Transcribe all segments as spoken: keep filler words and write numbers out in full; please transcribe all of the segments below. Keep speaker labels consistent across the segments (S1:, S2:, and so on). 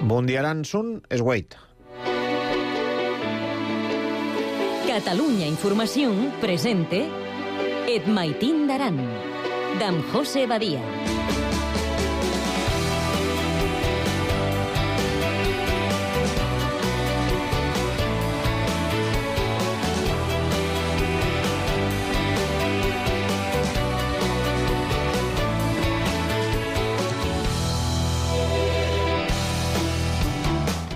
S1: Bondiaran són Esgueit.
S2: Catalunya Informació presente Et Maitín d'Aran, d'en José Badia.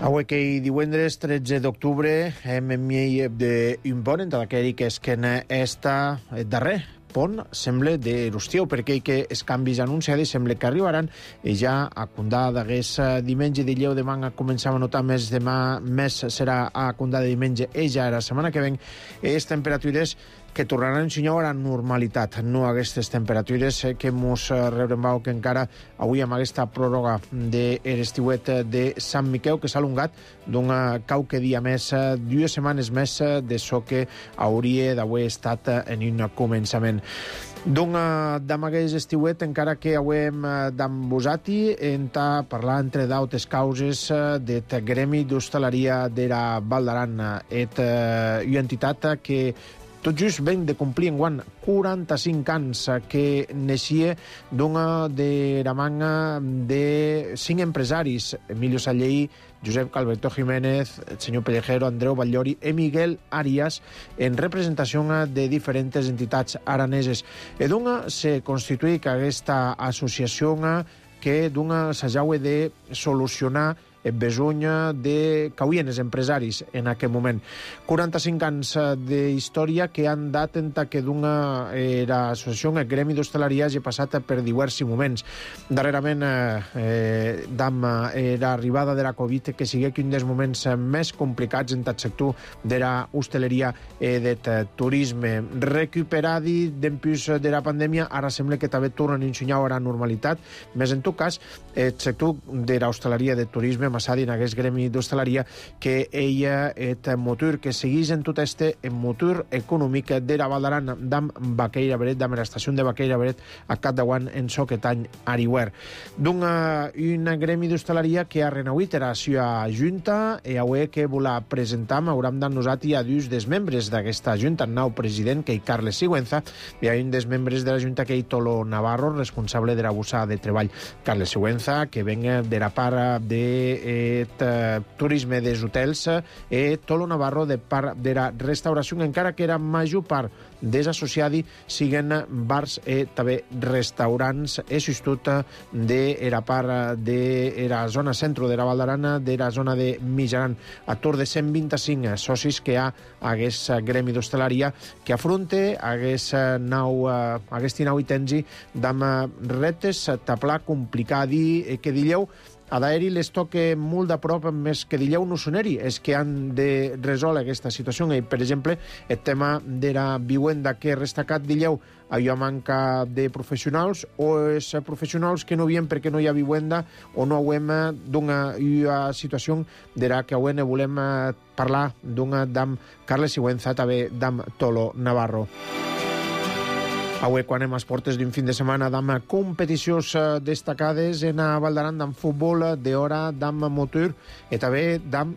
S1: Avui que hi divendres tretze d'octubre hem enviat d'un pont entre aquell que és que està darrer pont sembla de l'Ustieu, perquè que els canvis anunciats sembla que arribaran i ja a Condà d'hagués diumenge i dilluns demà començava a notar més demà, més serà a Condà de diumenge i ja la setmana que ven les temperatures que tornaran a ensenyar a la normalitat, no aquestes temperatures que mos rebrembau que encara avui amb aquesta pròrroga de l'estiuet de Sant Miquel que s'ha alongat d'un qualque dia més, dues setmanes més de so que hauria d'haver estat en un començament. D'un d'amagueix estiuet, encara que avem d'ambosati, enta parlar entre d'autes causes d'et gremi d'hostaleria de la Val d'Aran, et una entitat que tot just ven de complir enguant quaranta-cinc anys, que neixia d'una de la manga de cinc empresaris, Emilio Sallei, Josep Calberto Jiménez, el senyor Pellejero, Andreu Batllori i Miguel Arias, en representació de diferents entitats araneses. I d'una se constituï aquesta associació que d'una s'haja de solucionar el besony de que havien els empresaris en aquell moment. quaranta-cinc anys d'història que han dat enta que d'una l'associació, el gremi d'hostaleria, hagi passat per diversos moments. Darrerament, eh, d'am l'arribada de la Covid, que sigui un dels moments més complicats en el sector de la hostaleria i del turisme. Recuperadi d'empús de la pandèmia, ara sembla que també tornen a ensenyar a la normalitat, més en tot cas, el sector de l'hostaleria i del turisme Massadi en aquest gremi d'hostaleria que ella és motor que segueix en tot este en motor econòmic de la Val d'Aran d'am Baqueira Beret, d'am l'estació de Baqueira Beret a cap d'Aguant en Soquetany Arihuer. D'un un gremi d'hostaleria que ha renauit la seva junta i avui que volà presentar hauram de nosaltres a dos dels membres d'aquesta junta, el nou president que és Carles Sigüenza i un dels membres de la junta que és Tolo Navarro, responsable de la bossa de treball. Carles Sigüenza, que venga de la part de et uh, turisme dels hotels i Tolo Navarro de part de la restauració, encara que era major part desassociadi siguen bars i també restaurants i substitut de la part de la zona centre de la Val d'Aran, de la zona de Mitjaran, a tour de cent vint-i-cinc socis que hi ha a aquest gremi d'hostaleria que afronta aquest nou, aquest nou itensi d'amb reptes, taplar, complicadi, que dilleu a d'aeri les toca molt de prop, més que dilleu no soneri, és que han de resoldre aquesta situació. I, per exemple, el tema de la viuenda que restacat dilleu, allò manca de professionals o és professionals que no vien perquè no hi ha viuenda o no hauem d'una situació de la que avui volem parlar d'una d'am Carles Sigüenza, també d'am Tolo Navarro. Avui, quan hem a portes d'un fin de setmana d'am competicions destacades en a Val d'Aran d'am futbol, d'hora d'am motor i també d'am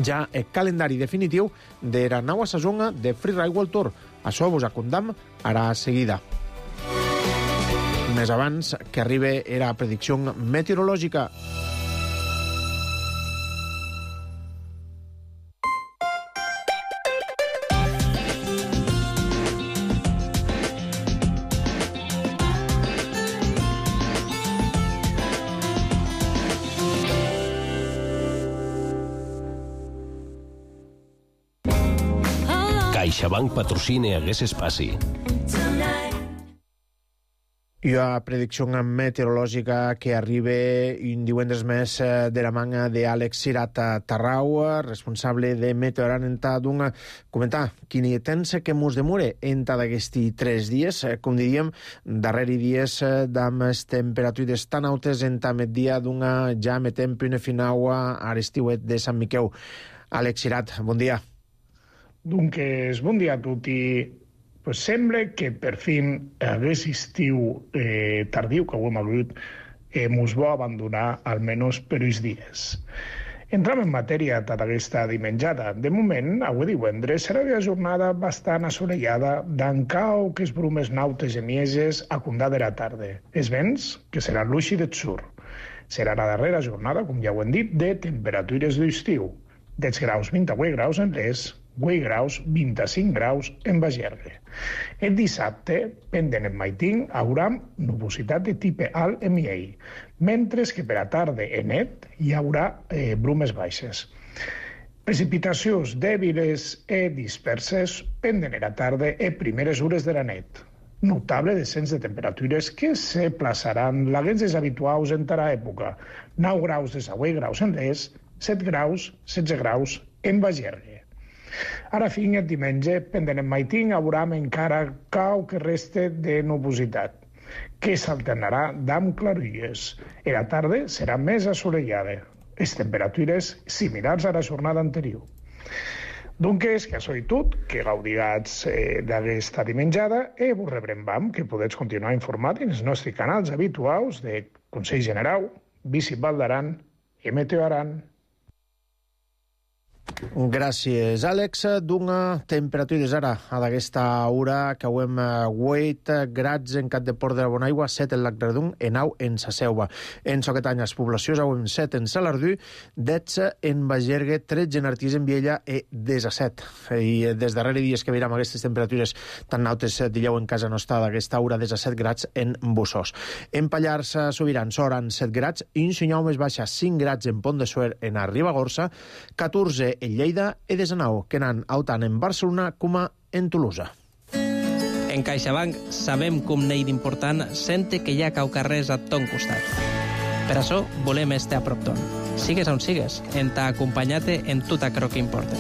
S1: ja el calendari definitiu de la nova saison de Freeride World Tour. Això vos acondam ara seguida. Més abans que arribi la predicció meteorològica.
S3: CaixaBank patrocina aquest espai.
S1: I la predicció meteorològica que arriba un divendres més de la manga d'Àlex Cirat Tarrau, responsable de Meteoran, enta d'un comentar quin temps que mos demora enta d'aquests tres dies, com diríem, darreri dies d'amb temperatures tan altes enta migdia d'una ja metem una final a l'estiuet de Sant Miquel. Àlex Cirat, bon dia.
S4: Doncs bon dia a tutti. Pues sembla que per fin aquest estiu eh, tardiu que ho hem hagut Hemos bo abandonar almenys per uns dies. Entram en matèria tota aquesta dimenjada. De moment, avui divendres, serà una jornada bastant assolellada, d'encau que es brumes nautes i mieses a condar de la tarda. Els vents, que seran l'uixi del sur. Serà la darrera jornada, com ja ho hem dit, de temperatures d'estiu. Dels graus vint-i-vuit graus en l'est, vuit graus, vint-i-cinc graus en Bagergue. El dissabte, pendent en Maitín, haurà nubositat de tipus alt en Miei, mentre que per a tarda en net hi haurà eh, brumes baixes. Precipitacions dèbiles e disperses pendent en la tarda e primeres hores de la net. Notable descens de temperatures que se plaçaran laguens deshabituals en tara època. nou graus de vuit graus en l'est, set graus, setze graus en Bagergue. Ara fin, el diumenge, pendent en Maitín, haurà encara cau que reste de nubositat, que s'alternarà d'amb clarilles. I la tarda serà més assolellada. Les temperatures similars a la jornada anterior. Doncs, que això és tot, que gaudiràs eh, d'aquesta dimenjada i vos rebrem vam, que podeu continuar informat en els nostres canals habituals de Consell General, Visit Val d'Aran i Meteo Aran.
S1: Gràcies, Àlex. D'una temperatures ara a d'aquesta hora que hem vuit grads en Cat de Port de la Bonaigua, set en Lac Redon, en nou en Sa Selva. En Soquetanyes, poblacions, hem set en Salardú, dotze en Bagergue, tretze en Artís en Viella i disset. I des darrere dies que veiem aquestes temperatures tan altes, dieu en casa nostra d'aquesta hora, disset grads en Bussós. En Pallars Sobirans, Soran, set grads, i en Sinyau més baixa, cinc grads en Pont de Suert, en Ribagorça, catorze en Lleida i desenou que n'han tant en Barcelona com en Tolosa.
S5: En CaixaBank sabem com n'hi d'important sente que hi ha caucarrers a ton costat. Per això volem estar a prop ton. Sigues on sigues, en t'ha acompanyat-te en tot aquello que importa.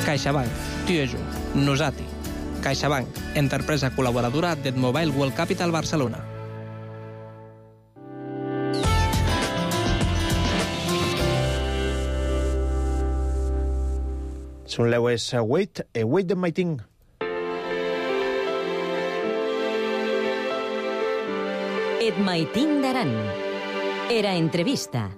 S5: CaixaBank, tu i jo, nosati. CaixaBank, empresa col·laboradora del Mobile World Capital Barcelona.
S1: Són leues vuit e vuit de Maitín.
S2: Et Maitín d'Aran. Era entrevista.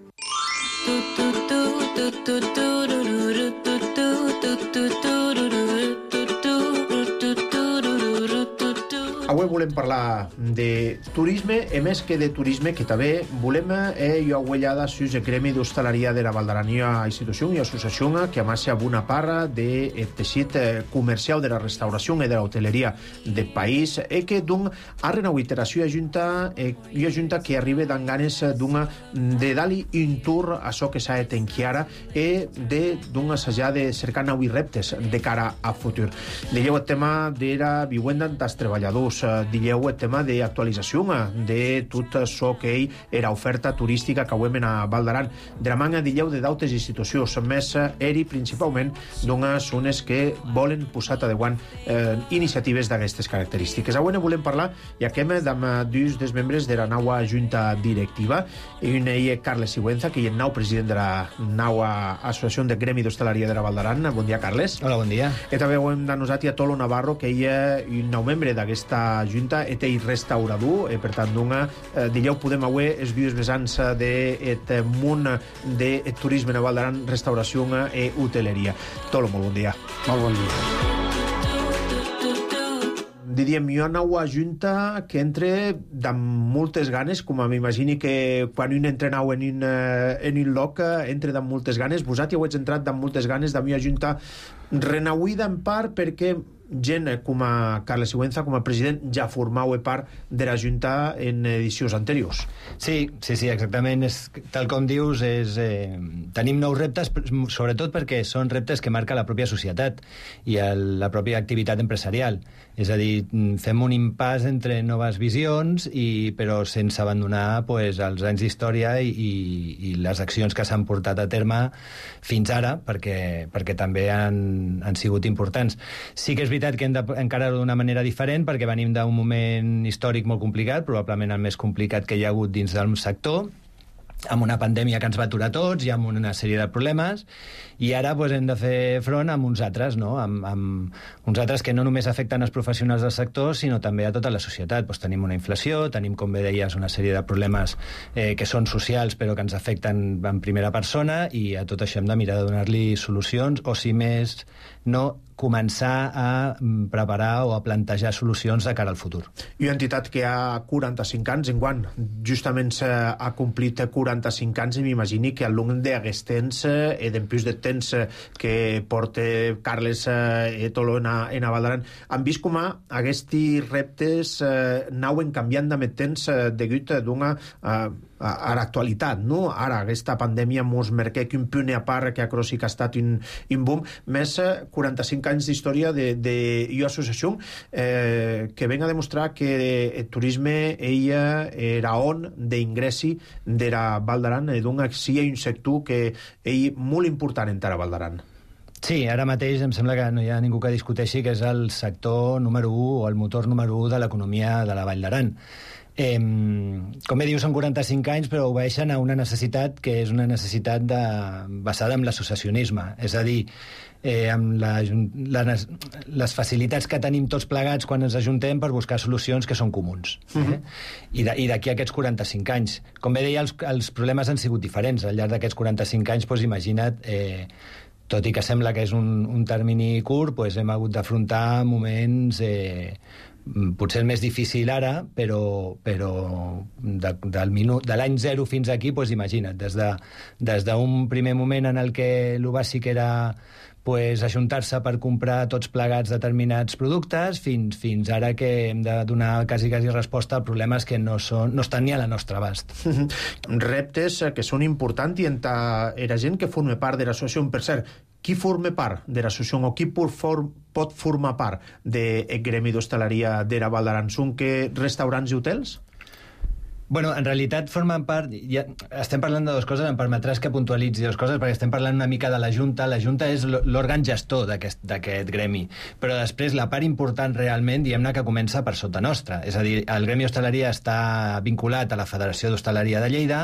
S1: Avui volem parlar de turisme, i més que de turisme, que també volem eh, jo aguellada sus el gremi d'hostaleria de la Val d'Aran, una institució i associació que amassa una part del teixit comercial de la restauració i de l'hoteleria del país, i que d'un ha renauit la seva junta eh, i una junta que arriba d'en ganes d'una de dali un tour a això que s'ha de tenquiara i de d'un assajar de cercar nous reptes de cara a futur. Digueu el tema de la viuenda dels treballadors, digueu el tema d'actualització de tot això que ell era oferta turística que avui a Val d'Aran. De la manga, digueu, de d'altres institucions, més eri principalment d'unes zones que volen posar a davant eh, iniciatives d'aquestes característiques. Avui ne volem parlar, ja que hem amb dos dels membres de la nova junta directiva, i un és Carles Sigüenza, que és el nou president de la nova associació de Gremi d'Hostaleria de la Val d'Aran. Bon dia, Carles.
S6: Hola, bon dia.
S1: I també hem de nosaltres a Tolo Navarro, que és un nou membre d'aquesta junta, et ell restaurador, eh, per tant, d'una, eh, digueu, podem avui els dues vessants d'aquest món de turisme a Val d'Aran, restauració i hoteleria. Tolo, molt bon dia.
S6: Molt bon dia.
S1: Diríem, hi ha una nova junta que entre amb moltes ganes, com m'imagini que quan un entra nou en un, en un lloc, entra amb moltes ganes. Vosaltres heu entrat amb moltes ganes d'una junta renauïda en part perquè gent com a Carles Sigüenza, com a president, ja formau part de la Junta en edicions anteriors.
S6: Sí, sí, sí, exactament. És, tal com dius, és, eh, tenim nous reptes, sobretot perquè són reptes que marca la pròpia societat i el, la pròpia activitat empresarial. És a dir, fem un impàs entre noves visions, i, però sense abandonar pues, els anys d'història i, i, i les accions que s'han portat a terme fins ara, perquè, perquè també han, han sigut importants. Sí que és veritat que hem d'encarar-ho d'una manera diferent, perquè venim d'un moment històric molt complicat, probablement el més complicat que hi ha hagut dins del sector, amb una pandèmia que ens va aturar tots i amb una sèrie de problemes, i ara pues, hem de fer front amb uns altres, no? amb, amb uns altres que no només afecten els professionals del sector, sinó també a tota la societat. Pues, tenim una inflació, tenim, com bé deies, una sèrie de problemes eh, que són socials però que ens afecten en primera persona, i a tot això hem de mirar de donar-li solucions, o si més no, començar a preparar o a plantejar solucions de cara al futur.
S1: I una entitat que ha quaranta-cinc anys, enguany justament ha complit quaranta-cinc anys, i m'imagini que al llarg d'aquest temps, eh, d'empús de temps que porta Carles eh, Toló en a, en a Valdaran, han vist com aquests reptes eh, anaven canviant amb el temps eh, degut d'una eh, a l'actualitat, no? Ara, aquesta pandèmia mos marca que un punt a part que a Crossi que ha estat un, un boom, més quaranta-cinc anys d'història de, de i associació eh, que ven a demostrar que el turisme ella era on d'ingressi d'era Valdaran, i donc sí hi ha un sector que és molt important encara a Valdaran.
S6: Sí, ara mateix em sembla que no hi ha ningú que discuteixi que és el sector número u o el motor número u de l'economia de la Vall d'Aran. Eh, com bé diu, són quaranta-cinc anys, però obeeixen a una necessitat que és una necessitat de, basada en l'associacionisme, és a dir, eh, amb la, la, les facilitats que tenim tots plegats quan ens ajuntem per buscar solucions que són comuns. Eh? Uh-huh. I, de, I d'aquí aquests quaranta-cinc anys. Com bé deia, els, els problemes han sigut diferents. Al llarg d'aquests quaranta-cinc anys, doncs, imagina't, eh, tot i que sembla que és un, un termini curt, doncs, hem hagut d'afrontar moments... Eh, potser el més difícil ara, però, però de, del minut, de l'any zero fins aquí, doncs imagina't, des de, des d'un primer moment en el que el bàsic era pues, ajuntar-se per comprar tots plegats determinats productes, fins, fins ara que hem de donar quasi, quasi resposta a problemes que no, són, no estan ni a la nostra abast.
S1: Reptes que són importants, i en era gent que forma part de l'associació. Per cert, qui forma part de l'associació o qui pot, for, pot formar part del gremi d'hostaleria d'era Valdaran? Són que restaurants i hotels?
S6: Bueno, en realitat formen part... Ja, estem parlant de dues coses, em permetràs que puntualitzi dues coses, perquè estem parlant una mica de la Junta. La Junta és l'òrgan gestor d'aquest gremi, però després la part important realment, diguem-ne, que comença per sota nostra. És a dir, el Gremi Hostaleria està vinculat a la Federació d'Hostaleria de Lleida,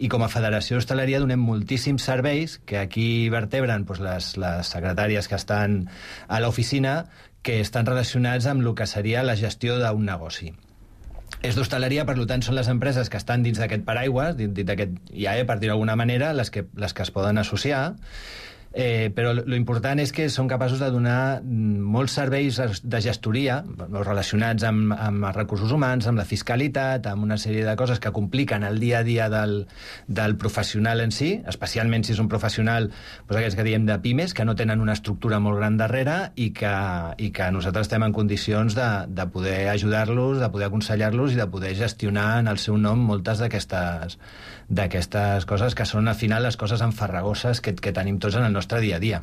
S6: i com a Federació d'Hostaleria donem moltíssims serveis que aquí vertebren doncs, les, les secretàries que estan a l'oficina, que estan relacionats amb el que seria la gestió d'un negoci. És d'hostaleria, per tant, són les empreses que estan dins d'aquest paraigües, dins d'aquest I A E, per dir-ho d'alguna manera, les que, les que es poden associar, eh, però l'important és que són capaços de donar molts serveis de gestoria relacionats amb, amb els recursos humans, amb la fiscalitat, amb una sèrie de coses que compliquen el dia a dia del, del professional en si, especialment si és un professional, doncs aquests que diem de pimes, que no tenen una estructura molt gran darrere, i que, i que nosaltres estem en condicions de, de poder ajudar-los, de poder aconsellar-los i de poder gestionar en el seu nom moltes d'aquestes d'aquestes coses que són, al final, les coses enfarragoses que, que tenim tots en el nostre dia a dia.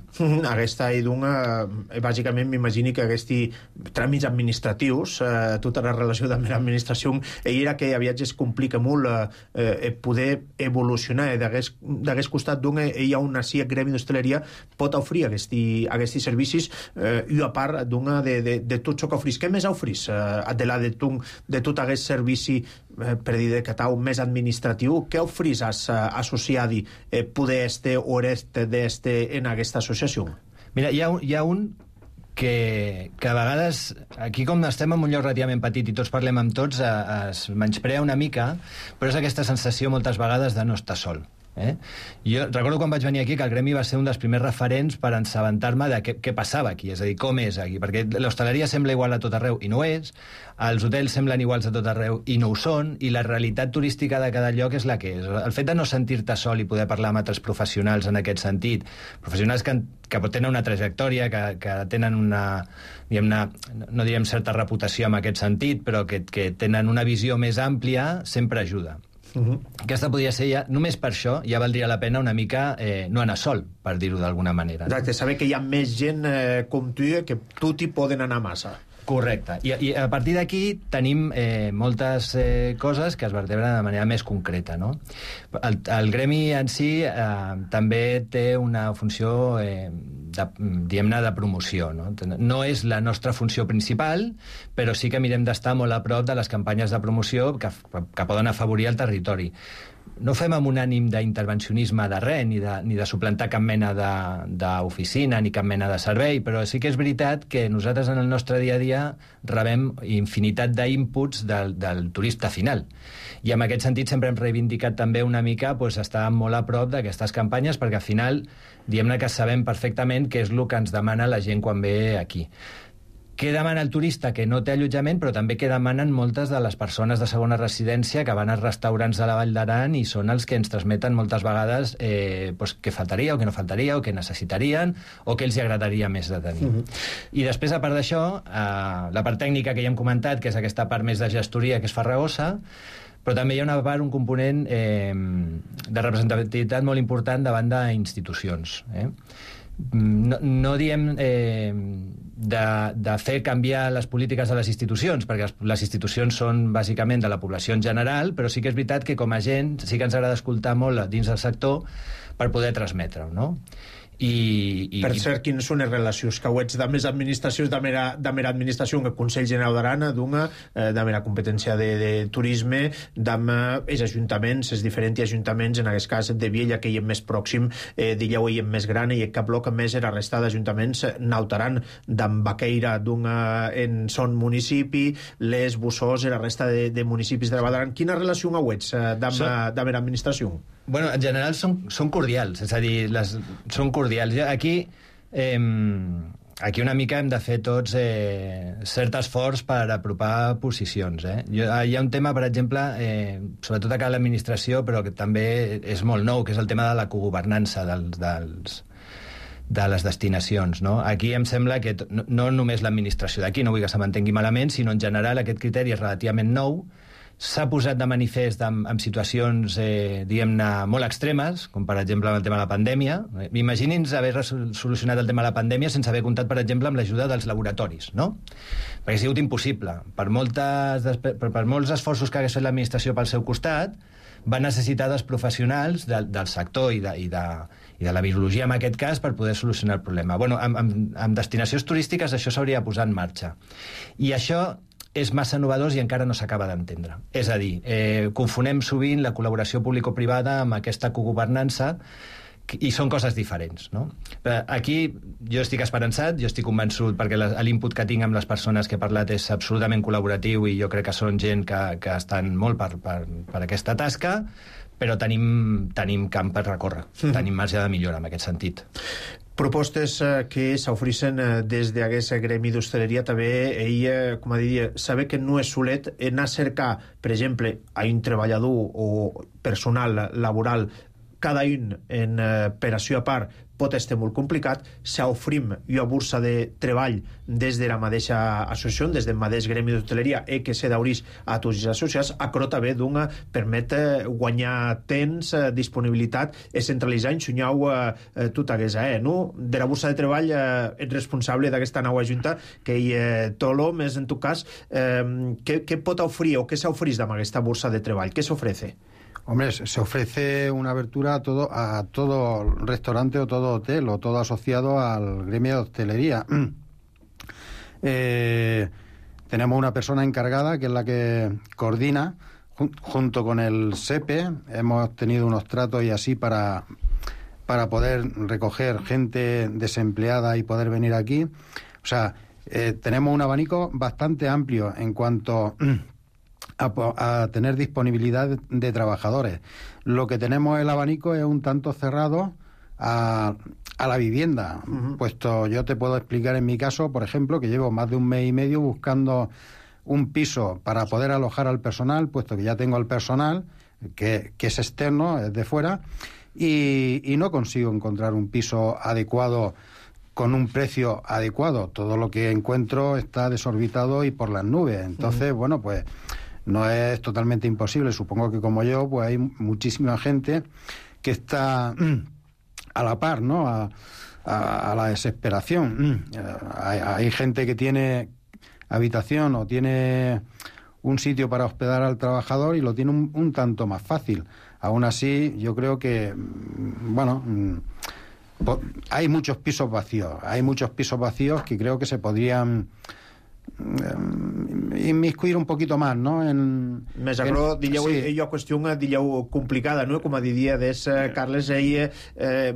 S1: Aquesta idunga, bàsicament, m'imagini que aquests tràmits administratius, eh, tota la relació amb l'administració, ell era que aviat es complica molt eh, poder evolucionar. D'aquest costat, doncs, hi ha una sí, el gremi d'hostaleria pot oferir aquests servicis, eh, i a part, doncs, de, de, de tot això que oferís. Què més oferís? Eh, de, la, de, de tot aquest servici, eh, per dir de catau, més administratiu, què oferís associat eh, poder este o este d'este en aquesta associació?
S6: Mira, hi ha, hi ha un que, que a vegades, aquí com estem en un lloc relativament petit i tots parlem amb tots, es menysprea una mica, però és aquesta sensació moltes vegades de no estar sol. Eh? Jo recordo quan vaig venir aquí que el gremi va ser un dels primers referents per assabentar-me de què, què passava aquí, és a dir, com és aquí, perquè l'hostaleria sembla igual a tot arreu i no ho és, els hotels semblen iguals a tot arreu i no ho són, i la realitat turística de cada lloc és la que és. El fet de no sentir-te sol i poder parlar amb altres professionals en aquest sentit, professionals que, que tenen una trajectòria, que, que tenen una, diguem-ne, no direm certa reputació en aquest sentit, però que, que tenen una visió més àmplia, sempre ajuda. Uh-huh. Aquesta podria ser ja, només per això ja valdria la pena una mica eh, no anar sol, per dir-ho d'alguna manera.
S1: Exacte, saber que hi ha més gent eh, com tu que tu t'hi poden anar massa.
S6: Correcte. I, i a partir d'aquí tenim eh, moltes eh, coses que es vertebren de manera més concreta, no? El, el gremi en si eh, també té una funció eh, de, diguem-ne, de promoció, no? No és la nostra funció principal, però sí que mirem d'estar molt a prop de les campanyes de promoció que, que poden afavorir el territori. no ho fem amb un ànim d'intervencionisme de res, ni de, ni de suplantar cap mena d'oficina, ni cap mena de servei, però sí que és veritat que nosaltres en el nostre dia a dia rebem infinitat d'inputs del, del turista final. I en aquest sentit sempre hem reivindicat també una mica pues, estar molt a prop d'aquestes campanyes, perquè al final diguem-ne que sabem perfectament què és el que ens demana la gent quan ve aquí. Què demana el turista? Que no té allotjament, però també què demanen moltes de les persones de segona residència que van als restaurants de la Vall d'Aran i són els que ens transmeten moltes vegades eh, pues, què faltaria o què no faltaria o què necessitarien o què els agradaria més de tenir. Uh-huh. I després, a part d'això, eh, la part tècnica que ja hem comentat, que és aquesta part més de gestoria, que és farragosa, però també hi ha una part, un component eh, de representativitat molt important davant d'institucions. Eh? No, no diem eh, de, de fer canviar les polítiques de les institucions, perquè les institucions són bàsicament de la població en general, però sí que és veritat que com a gent sí que ens agrada escoltar molt dins del sector per poder transmetre-ho, no? I, i,
S1: per cert, quines són les relacions que ets de més administracions, de mera, de mera administració, que el Consell General d'Aran, d'una, eh, de mera competència de, de turisme, d'amb els ajuntaments, els diferents ajuntaments, en aquest cas de Viella, que hi és més pròxim, eh, d'Illeu hi és més gran, i cap bloc més la resta d'ajuntaments nautaran, d'amb Baqueira, d'una en son municipi, les Bussós i la resta de, de municipis de la Vall d'Aran. Quina relació ho ets eh, d'amb so... de mera administració?
S6: Bueno, en general són, són cordials, és a dir, les, són cordials. Aquí, eh, aquí una mica hem de fer tots eh, cert esforç per apropar posicions. Eh? Jo, hi ha un tema, per exemple, eh, sobretot a l'administració, però que també és molt nou, que és el tema de la cogovernança dels, dels, de les destinacions. No? Aquí em sembla que no, no només l'administració d'aquí, no vull que se m'entengui malament, sinó en general aquest criteri és relativament nou, s'ha posat de manifest amb, amb situacions, eh, diguem-ne, molt extremes, com per exemple el tema de la pandèmia. Imagini'ns haver solucionat el tema de la pandèmia sense haver comptat, per exemple, amb l'ajuda dels laboratoris, no? Perquè ha sigut impossible. Per, moltes, per, per molts esforços que hagués fet l'administració pel seu costat, va necessitar dels professionals de, del sector i de, i, de, i de la virologia, en aquest cas, per poder solucionar el problema. Bueno, amb, amb, amb destinacions turístiques això s'hauria de posar en marxa. I això és massa innovador i encara no s'acaba d'entendre. És a dir, eh, confonem sovint la col·laboració público-privada amb aquesta cogovernança i són coses diferents, no? Aquí jo estic esperançat, jo estic convençut, perquè l'input que tinc amb les persones que he parlat és absolutament col·laboratiu i jo crec que són gent que, que estan molt per, per, per aquesta tasca, però tenim, tenim camp per recórrer, mm. tenim marge de millora en aquest sentit.
S1: Propostes eh, que s'ofereixen eh, des d'aquest gremi d'hostaleria, també ell, com a dir, saber que no és solet anar a cercar, per exemple, a un treballador o personal laboral cada un en eh, operació a part pot estar molt complicat. S'ofrim una borsa de treball des de la mateixa associació, des del mateix gremi d'hostaleria, i que se d'aurís a tots els associats, però també d'una permet guanyar temps, disponibilitat i centralitzar, ensenyar eh, tot aquest, eh, no? De la borsa de treball eh, ets responsable d'aquesta nova junta, que hi eh, Tolo, més en tu cas, eh, què, què pot oferir o què s'ofereix amb aquesta borsa de treball? Què s'ofrece?
S7: Hombre, se ofrece una abertura a todo, a todo restaurante o todo hotel o todo asociado al gremio de hostelería. Eh, tenemos una persona encargada que es la que coordina jun, junto con el S E P E. Hemos tenido unos tratos y así para, para poder recoger gente desempleada y poder venir aquí. O sea, eh, tenemos un abanico bastante amplio en cuanto A, a tener disponibilidad de, de trabajadores. Lo que tenemos el abanico es un tanto cerrado a, a la vivienda. Uh-huh. Puesto yo te puedo explicar en mi caso, por ejemplo, que llevo más de un mes y medio buscando un piso para poder alojar al personal, puesto que ya tengo el personal, que, que es externo, es de fuera, y, y no consigo encontrar un piso adecuado con un precio adecuado. Todo lo que encuentro está desorbitado y por las nubes. Entonces, uh-huh. bueno, pues no es totalmente imposible. Supongo que como yo, pues hay muchísima gente que está a la par, ¿no? A, a, a la desesperación. Hay, hay gente que tiene habitación o tiene un sitio para hospedar al trabajador y lo tiene un, un tanto más fácil. Aún así, yo creo que, bueno, hay muchos pisos vacíos. Hay muchos pisos vacíos que creo que se podrían inmiscuir un poquito más, ¿no? En,
S1: Més agro,
S7: en,
S1: dilleu,
S7: sí.
S1: jo qüestió, dilleu, complicada, no? Com a diria des, eh, Carles, ell... Eh,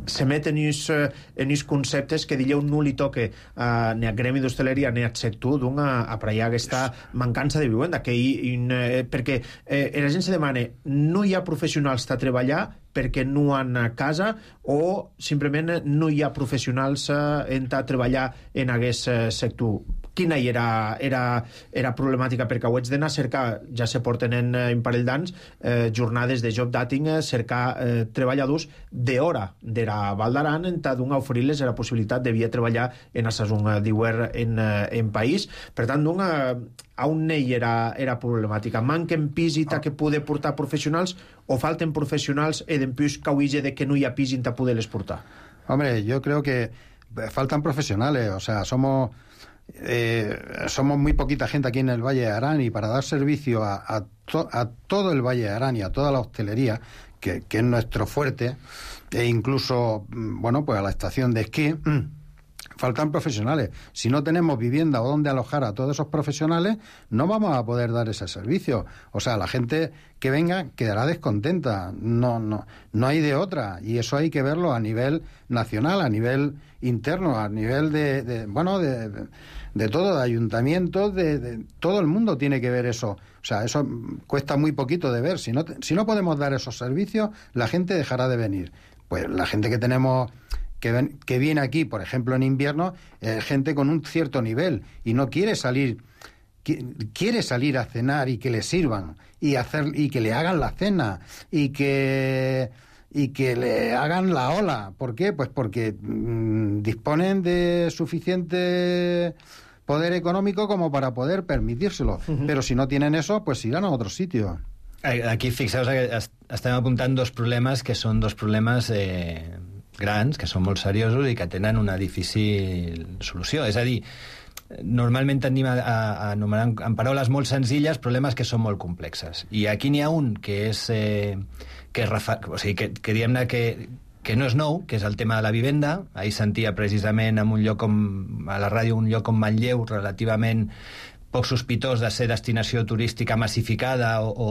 S1: se met en uns, en uns conceptes que dilleu no li toque uh, ni a gremi d'hostaleria ni al sector d'un a, a pregar aquesta mancança de vivenda que hi, in, eh, perquè eh, la gent se demana no hi ha professionals a treballar perquè no han a casa o simplement no hi ha professionals eh, a treballar en aquest eh, sector. Quina era, era, era problemàtica? Perquè ho haig d'anar a cercar, ja se porten en un parell d'anys, eh, jornades de job dating, cercar eh, treballadors d'hora d'era Val d'Aran, en tal d'un oferir-les la possibilitat de via treballar en la saison d'hivern en, en país. Per tant, d'un, a on ell era, era problemàtica? Manquen pis i que poder portar professionals o falten professionals i d'empús cauige de que no hi ha pis i ta poder-les portar?
S7: Hombre, yo creo que faltan profesionales, o sea, somos... Eh, somos muy poquita gente aquí en el Valle de Arán y para dar servicio a, a, to, a todo el Valle de Arán y a toda la hostelería, que, que es nuestro fuerte, e incluso, bueno, pues a la estación de esquí, faltan profesionales. Si no tenemos vivienda o donde alojar a todos esos profesionales, no vamos a poder dar ese servicio. O sea, la gente que venga quedará descontenta. No, no, no hay de otra. Y eso hay que verlo a nivel nacional, a nivel interno, a nivel de, de bueno, de, de, de todo, de ayuntamientos, de, de todo el mundo tiene que ver eso. O sea, eso cuesta muy poquito de ver. Si no, si no podemos dar esos servicios, la gente dejará de venir. Pues la gente que tenemos... Que, ven, que viene aquí, por ejemplo, en invierno, eh, gente con un cierto nivel y no quiere salir, qui, quiere salir a cenar y que le sirvan y hacer y que le hagan la cena y que y que le hagan la ola. ¿Por qué? Pues porque mmm, disponen de suficiente poder económico como para poder permitírselo. Uh-huh. Pero si no tienen eso, pues irán a otro sitio.
S6: Aquí fixeu que estem apuntant dos problemes que són dos problemes eh, grans, que són molt seriosos i que tenen una difícil solució. És a dir, normalment tendim a, a, a anomenar en paraules molt senzilles problemes que són molt complexes. I aquí n'hi ha un que és... Eh, que, refa, o sigui, que, que diguem-ne que, que no és nou, que és el tema de la vivenda. Ahir sentia precisament en un lloc com, a la ràdio, un lloc com Manlleu, relativament poc sospitós de ser destinació turística massificada o, o,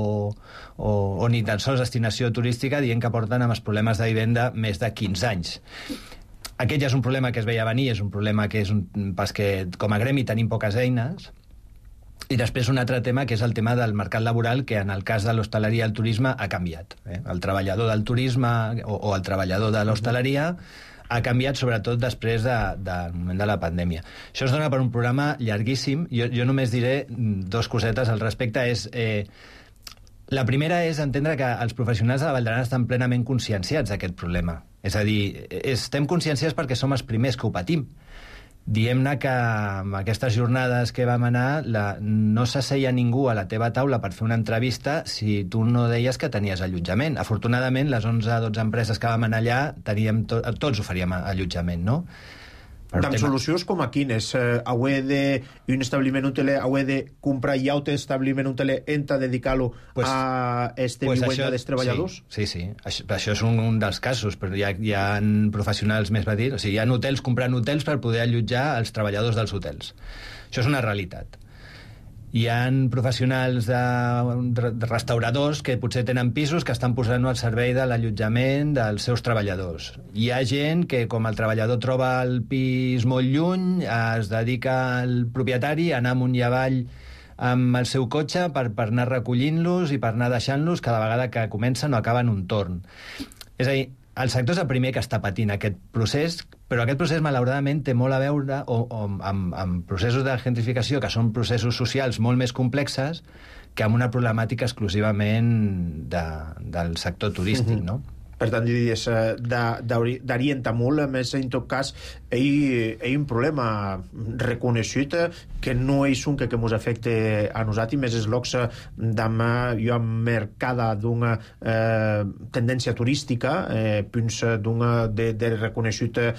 S6: o, o ni tan sols destinació turística, dient que porten amb els problemes de vivenda més de quinze anys. Aquest ja és un problema que es veia venir, és un problema que és un, pas que com a gremi tenim poques eines. I després un altre tema, que és el tema del mercat laboral, que en el cas de l'hostaleria i el turisme ha canviat. Eh? El treballador del turisme o, o el treballador de l'hostaleria ha canviat sobretot després de, del moment de la pandèmia. Això es dona per un programa llarguíssim. Jo, jo només diré dos cosetes al respecte. És, eh, la primera és entendre que els professionals de la Vall d'Aran estan plenament conscienciats d'aquest problema. És a dir, estem conscienciats perquè som els primers que ho patim. Diem-ne que amb aquestes jornades que vam anar la, no s'asseia ningú a la teva taula per fer una entrevista si tu no deies que tenies allotjament. Afortunadament, les onze o dotze empreses que vam anar allà, teníem to, tots oferíem allotjament, no?
S1: Amb tema... solucions com a quines? Eh, heu de, un establiment hoteler, heu de comprar ja un establiment hoteler enta dedicar-lo pues, a este pues vivenda dels treballadors?
S6: Sí, sí, sí. Això, això és un, un dels casos, però hi ha, hi ha professionals més petits, o sigui, hi ha hotels comprant hotels per poder allotjar els treballadors dels hotels. Això és una realitat. Hi ha professionals de, de restauradors que potser tenen pisos que estan posant al servei de l'allotjament dels seus treballadors. Hi ha gent que, com el treballador troba el pis molt lluny, es dedica al propietari a anar amunt i avall amb el seu cotxe per, per anar recollint-los i per anar deixant-los cada vegada que comencen o acaben un torn. És a dir, el sector és el primer que està patint aquest procés, però aquest procés, malauradament, té molt a veure o, o, amb, amb processos de gentrificació, que són processos socials molt més complexes, que amb una problemàtica exclusivament de, del sector turístic, mm-hmm. no?
S1: Per tant, diries, d'orientar molt, a més, en tot cas, hi ha un problema reconegut que no és un que, que ens afecta a nosaltres, més és l'ox d'ama jo am mercada d'una eh, tendència turística, eh, punts d'una de, de reconegut eh,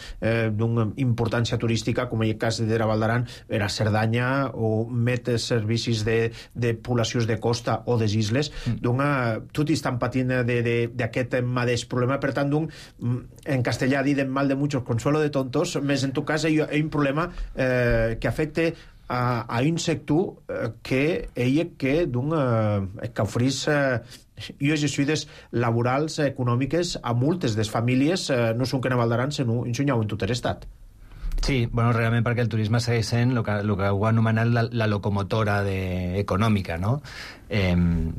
S1: d'una importància turística, com en el cas de la Val d'Aran, era Cerdanya, o met servicis de, de poblacions de costa o de isles, d'una... Tots estan patint d'aquest mateix problema, per tant, d'un, en castellà dit mal de muchos, consuelo de tontos, més en tu cas hi ha un problema eh, que afecta a, a un sector eh, que ella que d'un eh, que oferís eh, i ajudes laborals, econòmiques a moltes des famílies, eh, no són que ne valdaran, sinó ensenyau en tot l'estat.
S6: Sí, bueno, realment perquè el turisme segueix sent el que, el que ho ha anomenat la, la locomotora de, econòmica, no? Eh,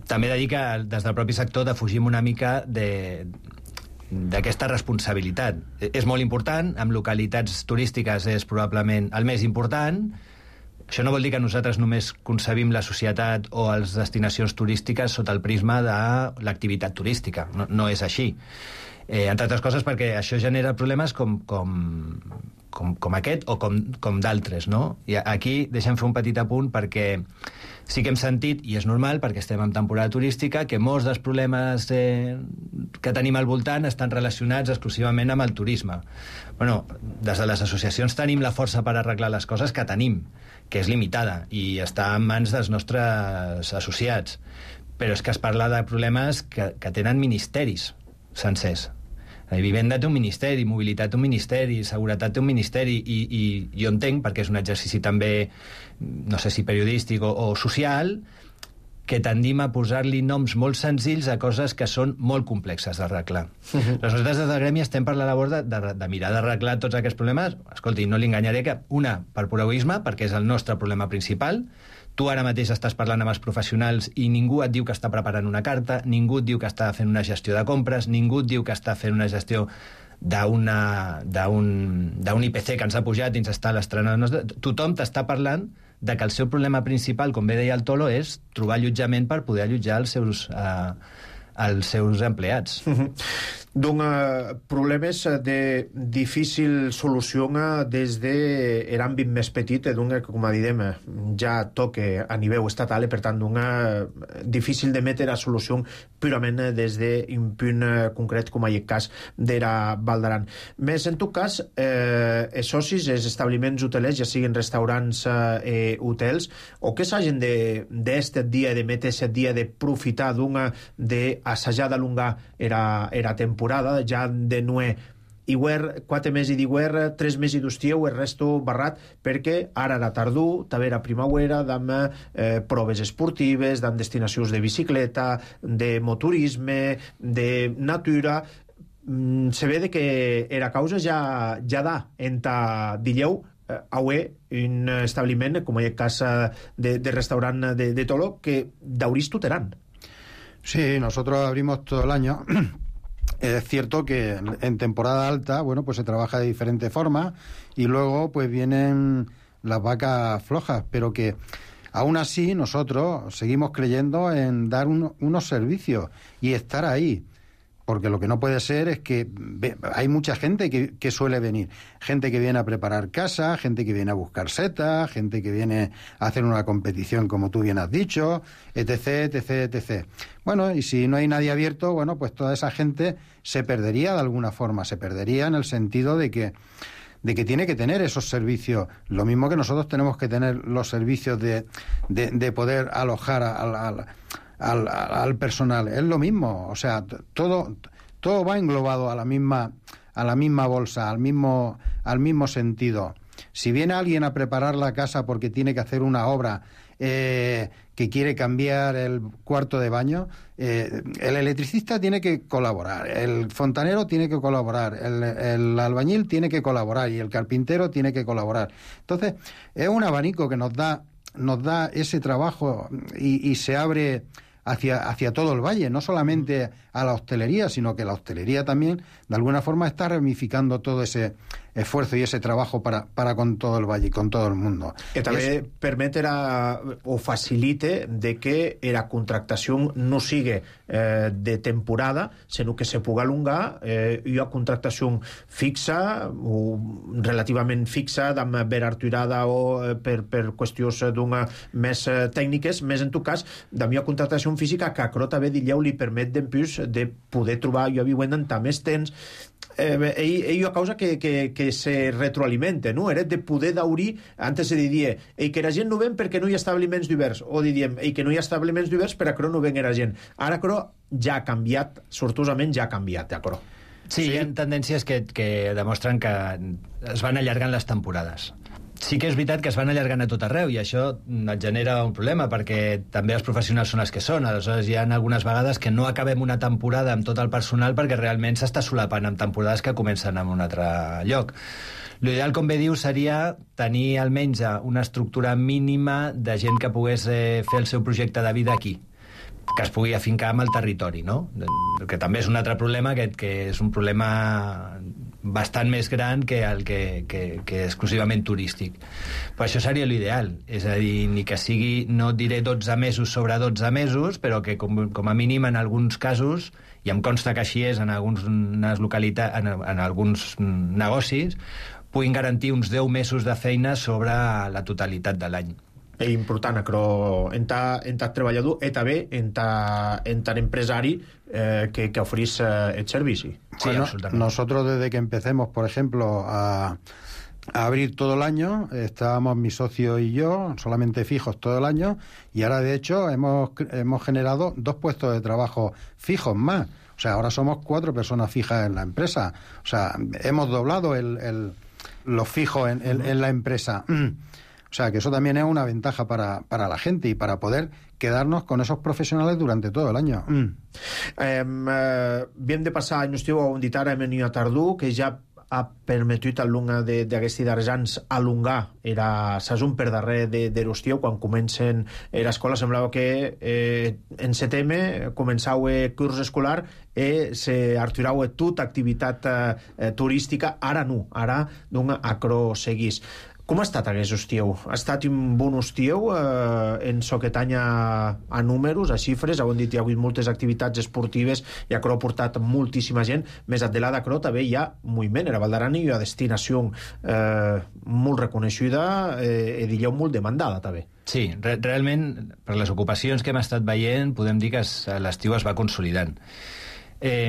S6: també he de dir que des del propi sector defugim una mica de d'aquesta responsabilitat. És molt important, amb localitats turístiques és probablement el més important. Això no vol dir que nosaltres només concebim la societat o les destinacions turístiques sota el prisma de l'activitat turística. No, no és així. Eh, entre altres coses perquè això genera problemes com, com, com, com aquest o com, com d'altres, no? I aquí deixem fer un petit apunt perquè sí que hem sentit, i és normal perquè estem en temporada turística, que molts dels problemes eh, que tenim al voltant estan relacionats exclusivament amb el turisme. Bueno, des de les associacions tenim la força per arreglar les coses que tenim, que és limitada i està en mans dels nostres associats. Però és que es parla de problemes que, que tenen ministeris sencers. La vivenda té un ministeri, mobilitat té un ministeri, seguretat té un ministeri, i, i jo entenc, perquè és un exercici també, no sé si periodístic o, o social, que tendim a posar-li noms molt senzills a coses que són molt complexes d'arreglar. Uh-huh. Nosaltres des del gremi estem per la labor de, de, de mirar d'arreglar tots aquests problemes. Escolti, no li enganyaré que, una, per pur egoisme, perquè és el nostre problema principal. Tu ara mateix estàs parlant amb els professionals i ningú et diu que està preparant una carta, ningú et diu que està fent una gestió de compres, ningú et diu que està fent una gestió d'un I P C que ens ha pujat i ens està l'estrenant. Tothom t'està parlant de que el seu problema principal, com bé deia el Tolo, és trobar allotjament per poder allotjar els seus, eh, els seus empleats.
S1: Uh-huh. D'un uh, problemes de difícil solució des de l'àmbit més petit, d'un, com a direm, ja toque a nivell estatal, i per tant d'un difícil de metre a solució purament des d'un punt concret, com en el cas d'era Val d'Aran. Més en tot cas, eh, els socis, els establiments hotelers, ja siguin restaurants eh, hotels, o que s'hagin d'aquest dia, de metre aquest dia, de profitar d'una, d'assajar d'alongar era, era temporada, ja de nuer Iguer, quatre mesos d'Iguer, tres mesos d'Ustieu, el resto barrat, perquè ara era tardor, també era primavera, amb eh, proves esportives, amb destinacions de bicicleta, de motorisme, de natura. Mm, se ve de que era causa ja, ja da enta Dilleu, eh, aué un establiment, com en el cas de, de restaurant de, de Tolo, que daurís tuteran.
S7: Sí, nosotros abrimos todo el año. Es cierto que en temporada alta, bueno, pues se trabaja de diferente forma y luego pues vienen las vacas flojas, pero que aún así nosotros seguimos creyendo en dar un, unos servicios y estar ahí. Porque lo que no puede ser es que ve, hay mucha gente que, que suele venir. Gente que viene a preparar casa, gente que viene a buscar setas, gente que viene a hacer una competición, como tú bien has dicho, etc, etc, etcétera. Bueno, y si no hay nadie abierto, bueno, pues toda esa gente se perdería de alguna forma. Se perdería en el sentido de que, de que tiene que tener esos servicios. Lo mismo que nosotros tenemos que tener los servicios de, de, de poder alojar a, a, a Al, al personal, es lo mismo, o sea, todo todo va englobado a la misma a la misma bolsa, al mismo al mismo sentido. Si viene alguien a preparar la casa porque tiene que hacer una obra, eh, que quiere cambiar el cuarto de baño, eh, el electricista tiene que colaborar, el fontanero tiene que colaborar, el, el albañil tiene que colaborar y el carpintero tiene que colaborar. Entonces, es un abanico que nos da nos da ese trabajo y, y se abre hacia, hacia todo el valle, no solamente a la hostelería, sino que la hostelería también, de alguna forma, está ramificando todo ese esfuerzo y ese trabajo para, para con todo el valle y con todo el mundo.
S1: Que també
S7: es...
S1: permetrà o facilite de que la contractació no sigui eh, de temporada, sinó que se pugui alongar. Eh, hi ha contractació fixa o relativament fixa, amb verarturada o eh, per, per qüestions d'una més eh, tècniques, més en tot cas, hi ha contractació física que a Crota bé Dilleu li permet d'empús de poder trobar, jo havia venen també temps, eh, ell, ell a causa que, que, que se retroalimenta, no? Era de poder daurir, antes se diria, ei, que la gent no ven perquè no hi ha establiments d'hiverns, o diríem, ei, que no hi ha establiments d'hiverns per a que no ven la gent. Ara, però, ja ha canviat, sortosament ja ha canviat, Acro.
S6: Sí, sí, hi ha tendències que, que demostren que es van allargant les temporades. Sí que és veritat que es van allargant a tot arreu i això et genera un problema perquè també els professionals són els que són. Aleshores hi ha algunes vegades que no acabem una temporada amb tot el personal perquè realment s'està solapant amb temporades que comencen en un altre lloc. L'ideal, com bé diu, seria tenir almenys una estructura mínima de gent que pogués eh, fer el seu projecte de vida aquí, que es pugui afincar amb el territori, no? Que també és un altre problema, que, que és un problema bastant més gran que el que, que, que exclusivament turístic. Però això seria l'ideal, és a dir, ni que sigui, no diré dotze mesos sobre dotze mesos, però que com, com a mínim en alguns casos, i em consta que així és en alguns localitats, en, en alguns negocis, puguin garantir uns deu mesos de feina sobre la totalitat de l'any.
S1: És important, però en ta, en ta treballador i també en ta, en ta empresari eh, que, que ofrís eh, el servici.
S7: Sí, bueno, nosotros desde que empecemos, por ejemplo, a, a abrir todo el año, estábamos mi socio y yo, solamente fijos todo el año, y ahora de hecho hemos, hemos generado dos puestos de trabajo fijos más. O sea, ahora somos cuatro personas fijas en la empresa. O sea, hemos doblado el, el, los fijos en, en, en la empresa. O sea, que eso también es una ventaja para, para la gente y para poder quedarnos con esos profesionales durante todo el año. Mm.
S1: Eh, eh, Bien de passar, no esteu on dit ara, hem venido a Tardú, que ja ha permetut al lunga d'aquesti d'Arjans alungar era sasum per darrer de, de l'Ostieu. Quan comencen l'escola semblava que eh, en setembre començau el curs escolar i se arturau tota activitat eh, turística. Ara no, ara d'un acro seguís. Com ha estat aquest estiu? Ha estat un bon estiu eh, en so que tanya a números, a xifres? Heu dit que hi ha hagut moltes activitats esportives i Acro ha portat moltíssima gent. Més enllà d'Acro també hi ha moviment. A Valdarani hi ha destinació eh, molt reconeguda eh, i diríeu molt demandada també.
S6: Sí, re realment per les ocupacions que hem estat veient podem dir que l'estiu es va consolidant. Eh,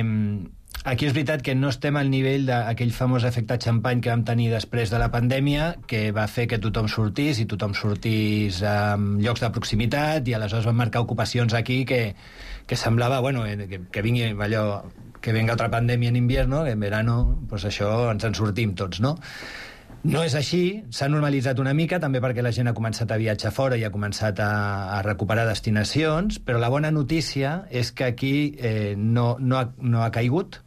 S6: Aquí és veritat que no estem al nivell d'aquell famós efecte xampany que vam tenir després de la pandèmia, que va fer que tothom sortís i tothom sortís a llocs de proximitat i aleshores van marcar ocupacions aquí que, que semblava, bueno, que, que vingui allò, que venga otra pandèmia en invierno, que en verano, pues això ens en sortim tots, no? No és així, s'ha normalitzat una mica, també perquè la gent ha començat a viatjar fora i ha començat a, a recuperar destinacions, però la bona notícia és que aquí eh, no, no, ha, no ha caigut,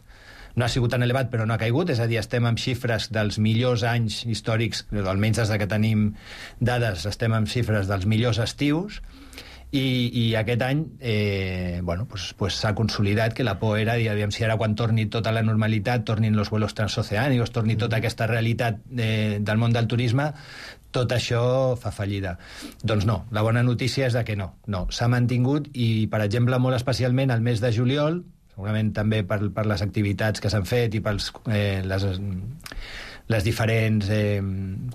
S6: no ha sigut tan elevat, però no ha caigut, és a dir, estem amb xifres dels millors anys històrics, almenys des que tenim dades, estem amb xifres dels millors estius, i, i aquest any eh, bueno, pues, pues s'ha consolidat que la por era, i aviam si ara quan torni tota la normalitat, tornin los vuelos transoceànicos, torni tota aquesta realitat eh, del món del turisme, tot això fa fallida. Doncs no, la bona notícia és de que no, no, s'ha mantingut i, per exemple, molt especialment al mes de juliol, segurament també per, per les activitats que s'han fet i per eh, les, les diferents eh,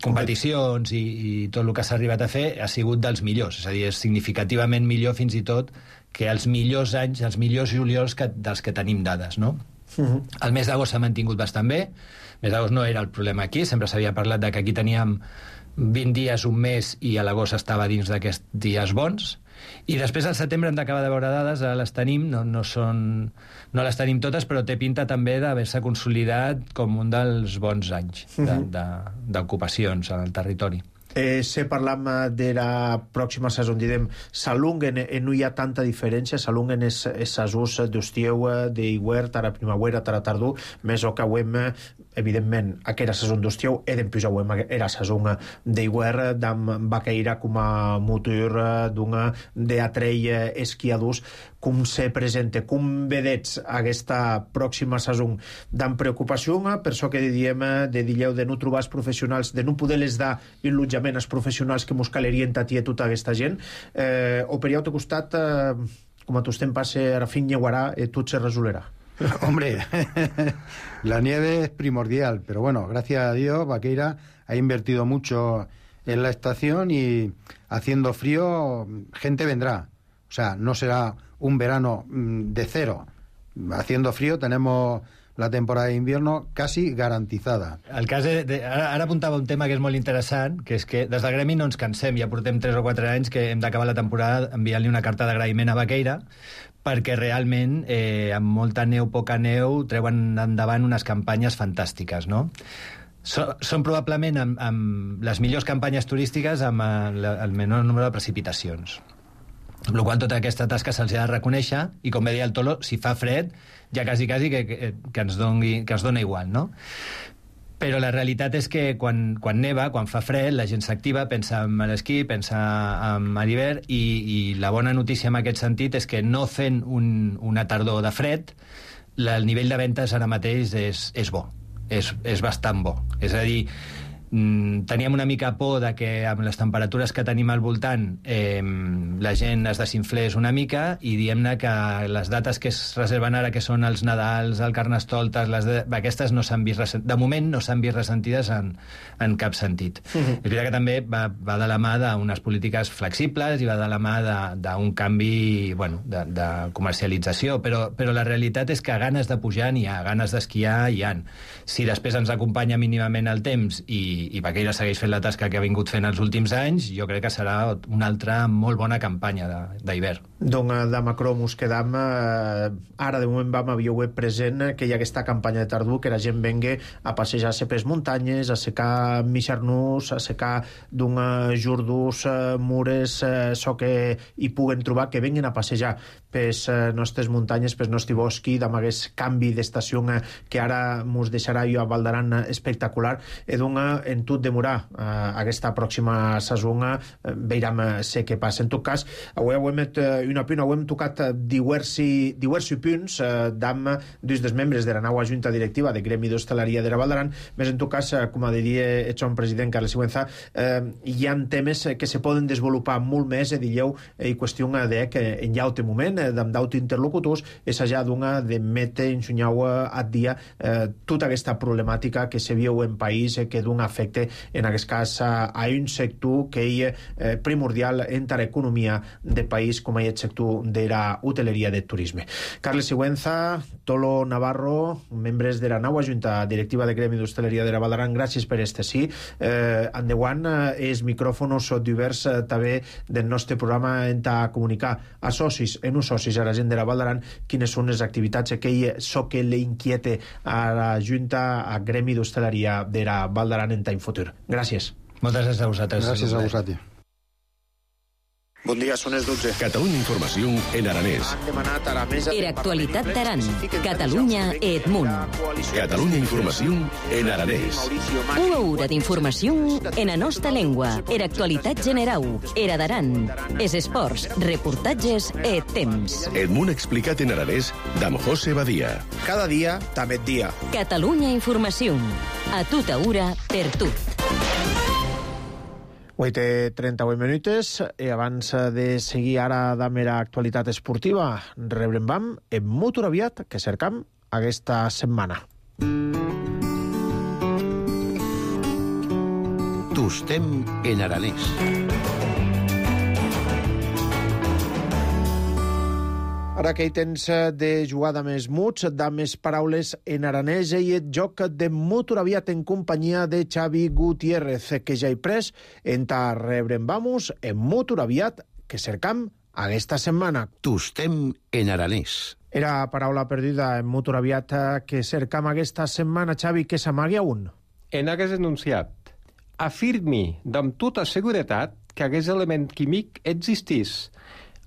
S6: competicions i, i tot el que s'ha arribat a fer, ha sigut dels millors. És a dir, és significativament millor fins i tot que els millors anys, els millors juliols que, dels que tenim dades, no? Uh-huh. El mes d'agost s'ha mantingut bastant bé. El mes d'agost no era el problema aquí, sempre s'havia parlat de que aquí teníem vint dies, un mes, i a l'agost estava dins d'aquests dies bons. I després al setembre hem d'acabar de veure dades, ara les tenim, no, no, són, no les tenim totes, però té pinta també d'haver-se consolidat com un dels bons anys d'ocupacions al territori.
S1: Eh, se parlam de la pròxima saison, direm, s'alunguen, eh, no hi ha tanta diferència, s'alunguen els saisons d'estiu, d'hivern, ara primavera, ara tardor, més o que hem, evidentment, aquella saison d'estiu, e dempuix hem era saison d'hivern, d'am vaqueira com a motor d'una d'atrei esquiadors. Com se presenta, com vedets aquesta pròxima saison d'en preocupació, per això que diem de dilleu de no trobar els professionals, de no poder-les dar allotjament als professionals que mos calerien tatir tota aquesta gent, eh, o per allà al costat, eh, com a tu estem passe a fin lleguarà, eh, tot se resolerà.
S7: Hombre, la nieve es primordial, pero bueno, gracias a Dios, Vaqueira ha invertido mucho en la estación y haciendo frío, gente vendrá. O sea, no será un verano de cero. Haciendo frío tenemos la temporada de invierno casi garantizada.
S6: El cas de, de, ara, ara apuntava un tema que és molt interessant, que és que des del gremi no ens cansem, ja portem tres o quatre anys que hem d'acabar la temporada enviant-li una carta d'agraïment a Baqueira, perquè realment, eh, amb molta neu, poca neu, treuen endavant unes campanyes fantàstiques, no? So, són probablement amb, amb les millors campanyes turístiques amb el, el menor número de precipitacions. Amb la qual tota aquesta tasca se'ls ha de reconèixer, i com bé deia el Tolo, si fa fred, ja quasi, quasi que, que, que, ens doni, que ens dona igual, no? Però la realitat és que quan, quan neva, quan fa fred, la gent s'activa, pensa en l'esquí, pensa en l'hivern, i, i la bona notícia en aquest sentit és que no fent un, una tardor de fred, la, el nivell de ventes ara mateix és, és bo, és, és bastant bo. És a dir, teníem una mica por de que amb les temperatures que tenim al voltant eh, la gent es desinflés una mica, i diem-ne que les dates que es reserven ara, que són els Nadals, el Carnestoltes, les de... aquestes no s'han vist resent... de moment no s'han vist ressentides en, en cap sentit. Uh-huh. És veritat que també va, va de la mà d'unes polítiques flexibles i va de la mà d'un canvi, bueno, de, de comercialització, però, però la realitat és que ganes de pujar n'hi ha, ganes d'esquiar hi ha. Si després ens acompanya mínimament el temps i i Baqueira segueix fent la tasca que ha vingut fent els últims anys, jo crec que serà una altra molt bona campanya d'hivern.
S1: Donc, de Macron mos quedam, eh, ara de moment vam havia web present que hi ha aquesta campanya de tardor, que la gent venga a passejar-se per les muntanyes, a secar Mixarnús, a secar d'un jordús, eh, mures, eh, so que hi puguen trobar, que venguin a passejar per les eh, nostres muntanyes, per el nostre bosc, amb aquest canvi d'estació eh, que ara mos deixarà jo a Valdaran espectacular, i doncs en tot demorar eh, aquesta pròxima saison, eh, veurem eh, sé què passa. En tot cas, avui hem fet eh, una punt, hem tocat diversi, diversi punts eh, d'am dos dels membres de la nova junta directiva de Gremi d'Hostaleria de la Valdaran, més en tot cas, eh, com diria el seu president Carles Sigüenza, eh, hi ha temes que se poden desenvolupar molt més, eh, dilleu, eh, i qüestió de que en llaute moment, eh, d'am d'aut interlocutors, és allà d'una de mete ensunyau a dia eh, tota aquesta problemàtica que se viu en país, eh, que d'un afecte, en aquest cas, a, a un sector que és eh, primordial entre l'economia de país, com és el sector de la hoteleria de turisme. Carles Sigüenza, Tolo Navarro, membres de la nova junta directiva de Gremi d'Hostaleria de la Valdaran, gràcies per este sí. Eh, endavant, eh, els micròfons són diversos eh, també del nostre programa en a comunicar a socis, en uns socis, a la gent de la Valdaran, quines són les activitats que so que le inquiete a la junta, a Gremi d'Hostaleria de la Valdaran en time futur. Gràcies.
S6: Moltes gràcies a vosaltres.
S7: Gràcies a vosaltres.
S1: Bon dia, són les dotze.
S3: Catalunya Informació en aranès.
S1: Han demanat a la mesa...
S2: Era actualitat d'Aran. Catalunya Edmunt.
S3: Catalunya Informació en aranès.
S2: Una hora d'informació en la nostra llengua. Era actualitat general. Era d'Aran. Es esports, reportatges e temps.
S3: Edmunt explicat en aranès d'am José Badia.
S1: Cada dia, també dia.
S2: Catalunya Informació. A tota hora, per tot.
S1: Avui té trenta-vuit minuts i abans de seguir ara de mera actualitat esportiva, rebrem vam en molt aviat que cercam aquesta setmana.
S3: Tustem en aranès.
S1: Ara que hi tens de jugar de més muts, de més paraules en aranès, i el joc de molt aviat en companyia de Xavi Gutiérrez, que ja hi pres en ta rebrem vamos en molt aviat que cercam aquesta setmana.
S3: Tustem en aranès.
S1: Era paraula perduda en molt aviat que cercam aquesta setmana, Xavi, que s'amagui a un.
S8: En aquest enunciat, afirmi amb tota seguretat que aquest element químic existís.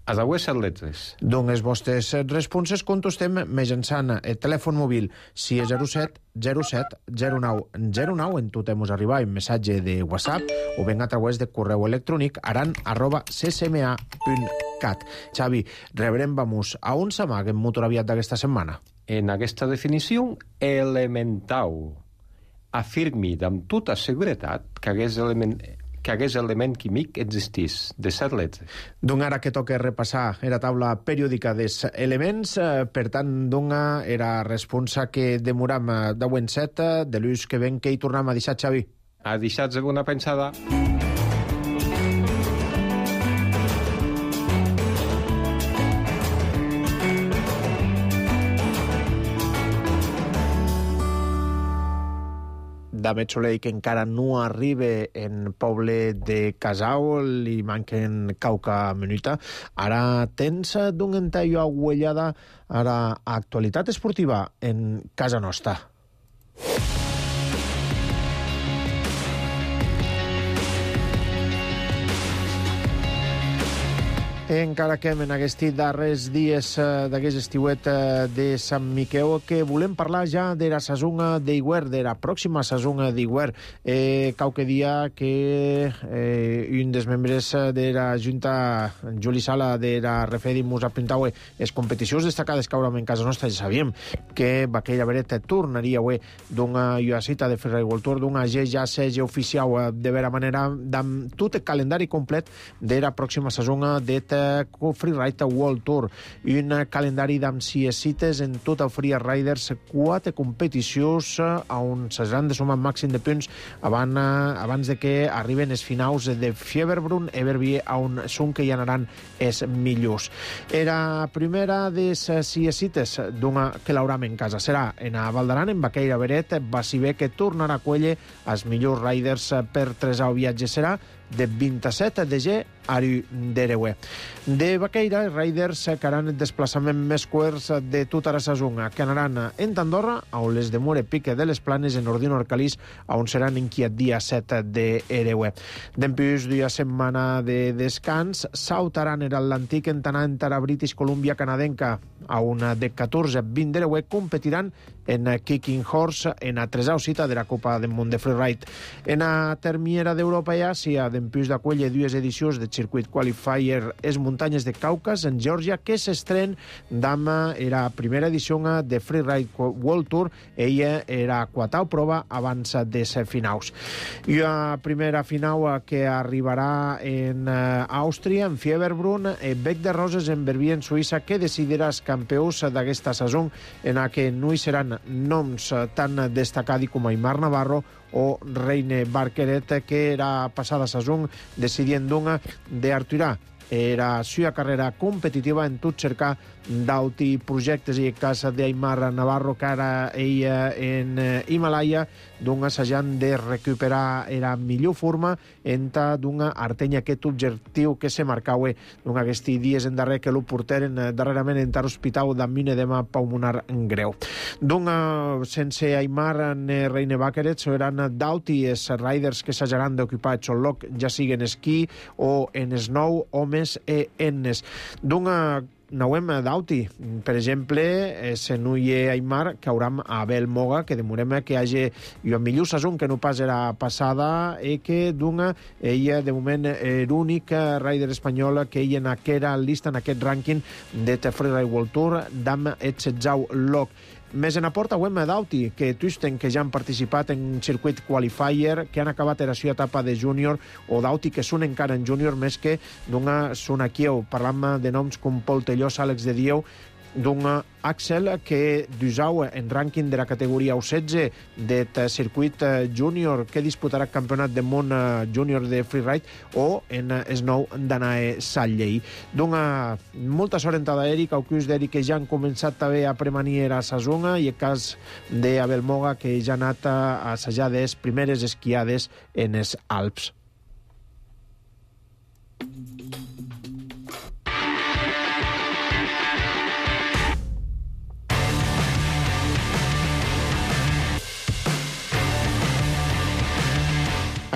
S8: A les set lletres.
S1: Doncs les vostres responses contestem mitjançant el telèfon mòbil sis zero set zero set zero nou zero nou, en tot hemos arribat un missatge de WhatsApp o ben a través de correu electrònic aran arroba c s m a punt cat. Xavi, rebrem vamos a on s'amaguen molt aviat d'aquesta setmana?
S8: En aquesta definició, elementau. Afirmi amb tota seguretat que aquest element... que aquest element químic existís, de set lletres.
S1: Doncs ara que toca repassar la taula periòdica dels elements, eh, per tant, dona era responsa que demoram deu en set, de l'ús que ven que hi tornem a deixar, Xavi.
S8: A deixar-se una pensada.
S1: Damet Soleil, que encara no arriba en poble de Casau, li manquen cauca minuta. Ara tens d'un entallo aguellada, ara actualitat esportiva en casa nostra. Encara que en aquests darrers dies d'aquest estiuet de Sant Miquel, que volem parlar ja de la sazonga d'Iguer, de la pròxima sazonga d'Iguer. Eh, qualque dia que eh, un dels membres de la Junta, Juli Sala, de la Refedi, mos apuntaue les competicions destacades que haurem en casa nostra. Ja sabíem que Baquella Beret tornaria avui d'una cita de Freeride World Tour, d'una G ja seja oficial de vera manera, amb tot el calendari complet de la pròxima sazonga de Freeride World Tour, un calendari d'amb sis cites en tot el Free Riders, quatre competicions on s'hauran de sumar màxim de punts abans, abans de que arriben els finals de Fieberbrunn, Everbie, on són que hi anaran els millors. Era primera de les sis cites d'una que l'hauram en casa. Serà en a Valdaran, en Baqueira Beret, Basibé, que tornarà a Cuelle els millors riders per tres al viatge. Serà de vint-i-set de ge a Dereué. De Baqueira, els riders que haran el desplaçament més cuers de tota la sazonga, que anaran en Andorra, on les de More Pique de les Planes, en Ordino Orcalís, on seran en Quiet dia set de Ereué. Dempús d'una setmana de descans, sautaran en l'antic Entanar en Tara British Columbia canadenca, on de catorze a vint d'Ereué competiran en Kicking Horse, en la tresau cita de la Copa del Món de Freeride. En la termiera d'Europa i Àsia, dempús d'acuelle dues edicions de Circuit Qualifier es muntanyes de Caucas, en Geòrgia, que s'estren d'ama era primera edició de Freeride World Tour. Ella era quatau prova abans de ser finals. I la primera final que arribarà en Àustria, en Fieberbrunn, Bec de Roses, en Verbier, en Suïssa, que decidirà els campions d'aquesta saison, en la que no hi seran noms tan destacats com Aimar Navarro o Reine Barqueret, que era passada saison decidint d'una d'Arturà. Era sua carrera competitiva en tot cercar d'auti projectes, i el cas d'Aimar Navarro, que ara ella en Himalaya, d'un assajant de recuperar la millor forma enta d'una artenya aquest objectiu que se marcaue d'un aquests dies en darrer que lo porteren darrerament en tar hospital d'amb un edema pulmonar greu. D'una sense Aimar ne Reine Barqueret seran d'auti els riders que s'hajaran d'ocupar el xoloc, ja siguen esquí o en snow, homes e ennes. D'una Nauem d'auti, per exemple, se no hi ha Aimar, que hauram a Abel Moga, que demorem que hi hagi una millor saison que no pas era passada, i que d'una, ella de moment l'únic rider espanyol que ella en aquesta llista, en aquest rànquing de Freeride World Tour, d'am et setzau loc. Més en aporta Wem d'Auti, que Tusten, que ja han participat en circuit qualifier, que han acabat la seva etapa de júnior, o d'Auti, que són encara en júnior, més que d'una són aquí, parlant de noms com Pol Tellós, Àlex de Dieu, d'un Axel que d'usau en rànquing de la categoria U setze de circuit júnior, que disputarà el campionat del món júnior de freeride, o en snow d'Anae Sallei. D'una molta sort entrada Eric, Aucus d'Eric, que ja han començat també a premanir a Sazonga, i el cas d'Abel Moga, que ja ha anat a assajar les primeres esquiades en els Alps.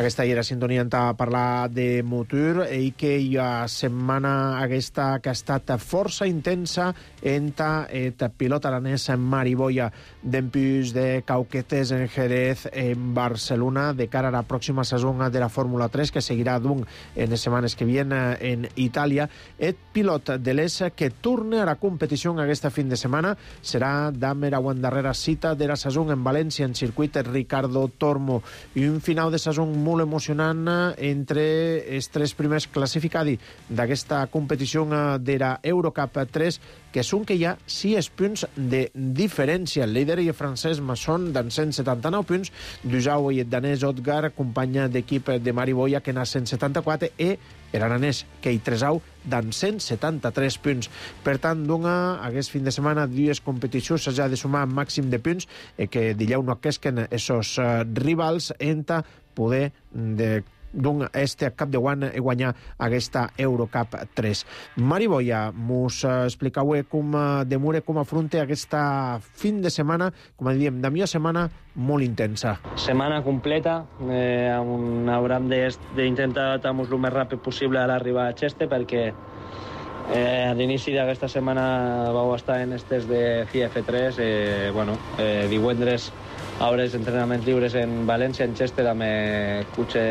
S1: Aquesta era sintonia a parlar de motor, i que hi ha setmana aquesta que ha estat força intensa entre el pilot aranès Mariboya, dempús de Cauquetes en Jerez, en Barcelona, de cara a la pròxima saison de la Fórmula tres, que seguirà d'un en les setmanes que vienen en Itàlia. El pilot de l'E S que torna a la competició aquesta fin de setmana serà d'am la darrera cita de la saison en València, en circuit Ricardo Tormo, i un final de saison molt molt emocionant entre els tres primers classificats d'aquesta competició de la Eurocup tres, que són que hi ha sis punts de diferència. El líder i el francès Masson d'en cent setanta-nou punts, Dujau i el danès Odgar, companya d'equip de Mariboia, que n'ha cent setanta-quatre, i l'aranès Kei Tresau d'en cent setanta-tres punts. Per tant, dona aquest fin de setmana dues competicions s'ha de sumar màxim de punts i que dileu no aquesquen esos uh, rivals enta poder de d'un este cap de guany i guanyar aquesta Eurocup tres. Mariboia, mos explicau com demure, com afronta aquesta fin de setmana, com diem, de millor setmana molt intensa.
S9: Setmana completa, eh, on haurem d'intentar estar-nos el més ràpid possible a l'arribar a Cheste, perquè eh, a l'inici d'aquesta setmana vau estar en estes de C I F tres, eh, bueno, eh, divendres hauràs entrenaments lliures en València, en Chester, amb el cotxe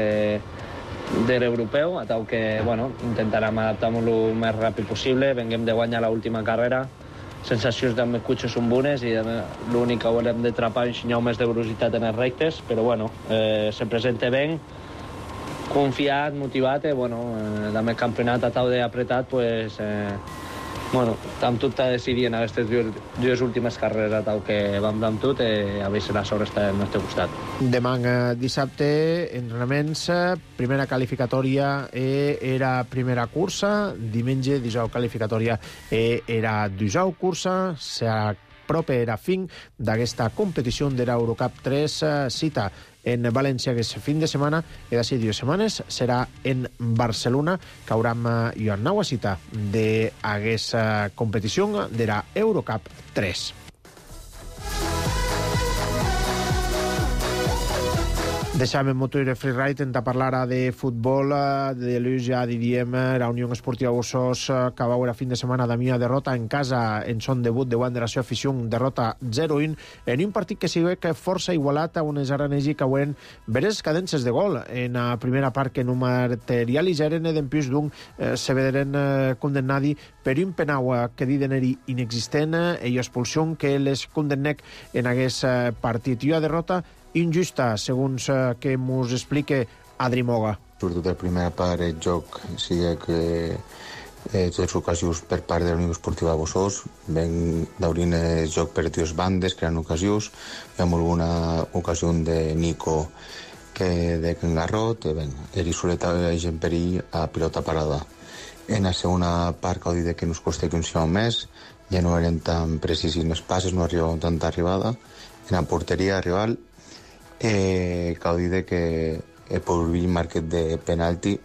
S9: de l'europeu, a tal que, bueno, intentarem adaptar-nos el més ràpid possible, venguem de guanyar l'última carrera, sensacions del meu cotxe són bones i l'únic que haurem de trapar és ensenyar més de velocitat en els rectes, però, bueno, eh, se presenta bé, confiat, motivat, i, bueno, eh, amb el campionat a tal d'apretat, pues, eh, bueno, amb tot a decidir en aquestes dues, dues últimes carreres a tal que vam amb tot i a veure si la sort està al nostre costat.
S1: Demà dissabte, entrenaments, primera qualificatòria era primera cursa, diumenge, dijous qualificatòria era dijous cursa, s'apropa era fin d'aquesta competició de l'Eurocup tres, cita en València aquest fin de setmana i d'ací dues setmanes serà en Barcelona, que haurem una nova cita d'aquesta competició de la Eurocup tres. Deixàvem motor i freeride en parlar de futbol. De l'ús ja diríem la Unió Esportiva Bossós, que va veure fin de setmana de mia derrota en casa en son debut de Wanderers Afició, derrota zero un en un partit que s'hi veu que força igualat a unes aranesi que veuen veres cadences de gol en la primera part que no materialitzaren, d'en plus d'un eh, se vederen eh, condemnadi per un penau que diden-eri inexistent i expulsió que les condemnec en aquest eh, partit. I una derrota injusta, segons eh, que mos explique Adri Moga.
S10: Sobretot la primera part del joc sigui que eh, les ocasions per part de la Unió Esportiva Bossós ven d'obrir el joc per dues bandes, creant ocasions. Hi ha alguna ocasió de Nico que de Kengarrot, ben, eri soleta en perill a pilota parada. En la segona part, cal dir que nos costa que un siau més, ja no eren tan precisis els passes, no arribaven tanta arribada. En la porteria rival, Eh, cal dir que el Pourville marquet de penalti,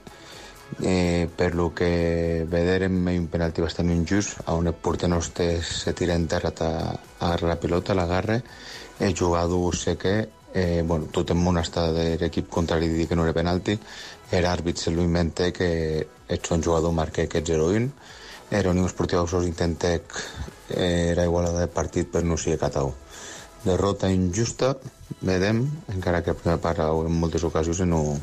S10: eh, per lo que vederem un penalti bastant injust, on el porter nostre se tira en terra a, a la pilota, l'agarra, el jugador sé que eh, bueno, tot el món està de l'equip contrari dir que no era penalti, l'àrbit se lo inventa que el son jugador marca aquest zero un, la Unió Esportiva Bossós intenta eh, era igualada de partit per no ser catau. Derrota injusta, vedem, encara que a primera part en moltes ocasions no,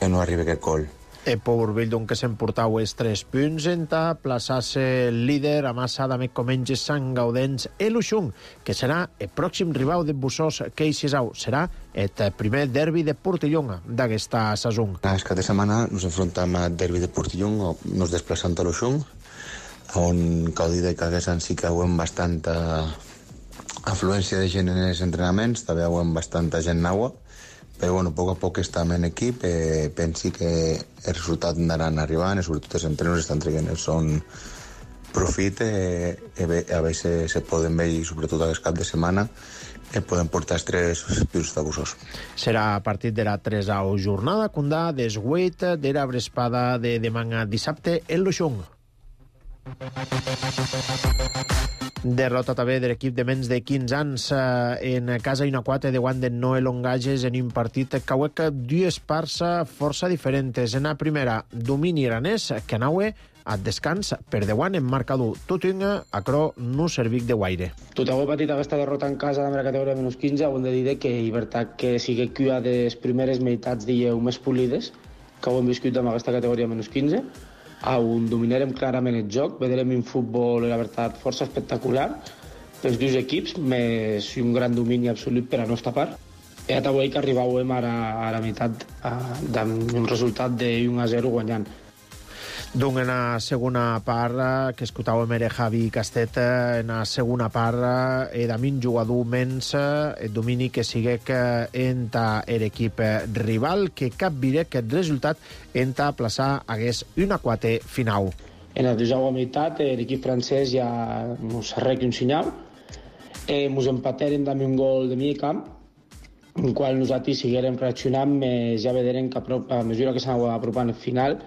S10: no arriba aquest gol.
S1: El Pourville, doncs, que s'emportau els tres punts en plaçar-se líder a massa de més com menys Sant Gaudens el Uixung, que serà el pròxim rival de Bossós que Ixisau. Serà el primer derbi de Portillon d'aquesta saison.
S10: Aquest cap de setmana ens enfrontem al derbi de Portillon, nos desplaçant a l'Uixung, on cal dir que aquest any sí que veiem bastanta afluència de gent en els entrenaments, també veiem bastanta gent nova, però bueno, a poc a poc estem en equip, eh, pensi que el resultat anaran arribant, i sobretot els entrenos estan traient el son profit, eh, a veure se poden veure, sobretot aquest cap de setmana, eh, poden portar els tres punts de Bossós.
S1: Serà a partir de la tresau jornada, condà des huit de la vesprada de demà dissabte en l'Uixung. Derrota també de l'equip de menys de quinze anys en casa i una quatre de guant de Noel Ongages en un partit que hauec dues parts força diferents. En la primera, domini iranès, que anaue a descans per de guant en marcador. Tot un acro no servic de guaire.
S11: Tot heu patit aquesta derrota en casa de la categoria menys quinze, ho hem de dir que és veritat que sigui que una de les primeres meitats dieu més polides que ho hem viscut amb aquesta categoria menys quinze, on dominarem clarament el joc, veurem un futbol, la veritat, força espectacular dels dos equips, més un gran domini absolut per a la nostra part. E avui que arribàvem ara a la meitat d'un resultat de un a zero guanyant.
S1: Donc, en la segona part, que escoltàvem era Javi Castet, en la segona part, e damin jugador menys, el domini que siguec enta l'equip rival, que capviré aquest resultat enta plaçar hagués una quatre final.
S11: En la deuxième meitat, l'equip francès ja ens arregla un senyal, eh, ens empateren amb un gol de mig camp, en qual nosaltres seguirem reaccionant, més ja veurem que a mesura que s'anava apropant al final,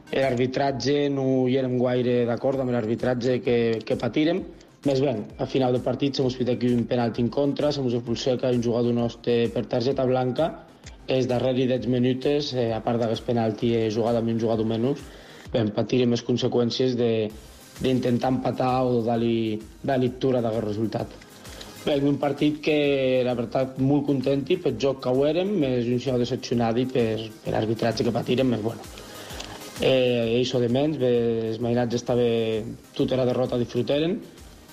S11: l'arbitratge no hi érem gaire d'acord amb l'arbitratge que, que patirem. Més bé, al final del partit s'hem fet aquí un penalti en contra, s'hem expulsat un jugador nostre per targeta blanca, els darrers deu minuts, eh, a part d'aquest penalti, he jugat amb un jugador menys, vam patir les conseqüències d'intentar empatar o dar-li lectura d'aquest resultat. Bé, un partit que, la veritat, molt content pel joc que ho érem, més un xau decepcionat per, per l'arbitratge que patirem, més bueno. Eh, això de menys, els mainats estava tota la derrota a disfrutaren,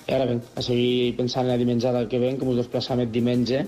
S11: i ara ben, a seguir pensant en la dimenjada que ven, que ens desplaçam el diumenge,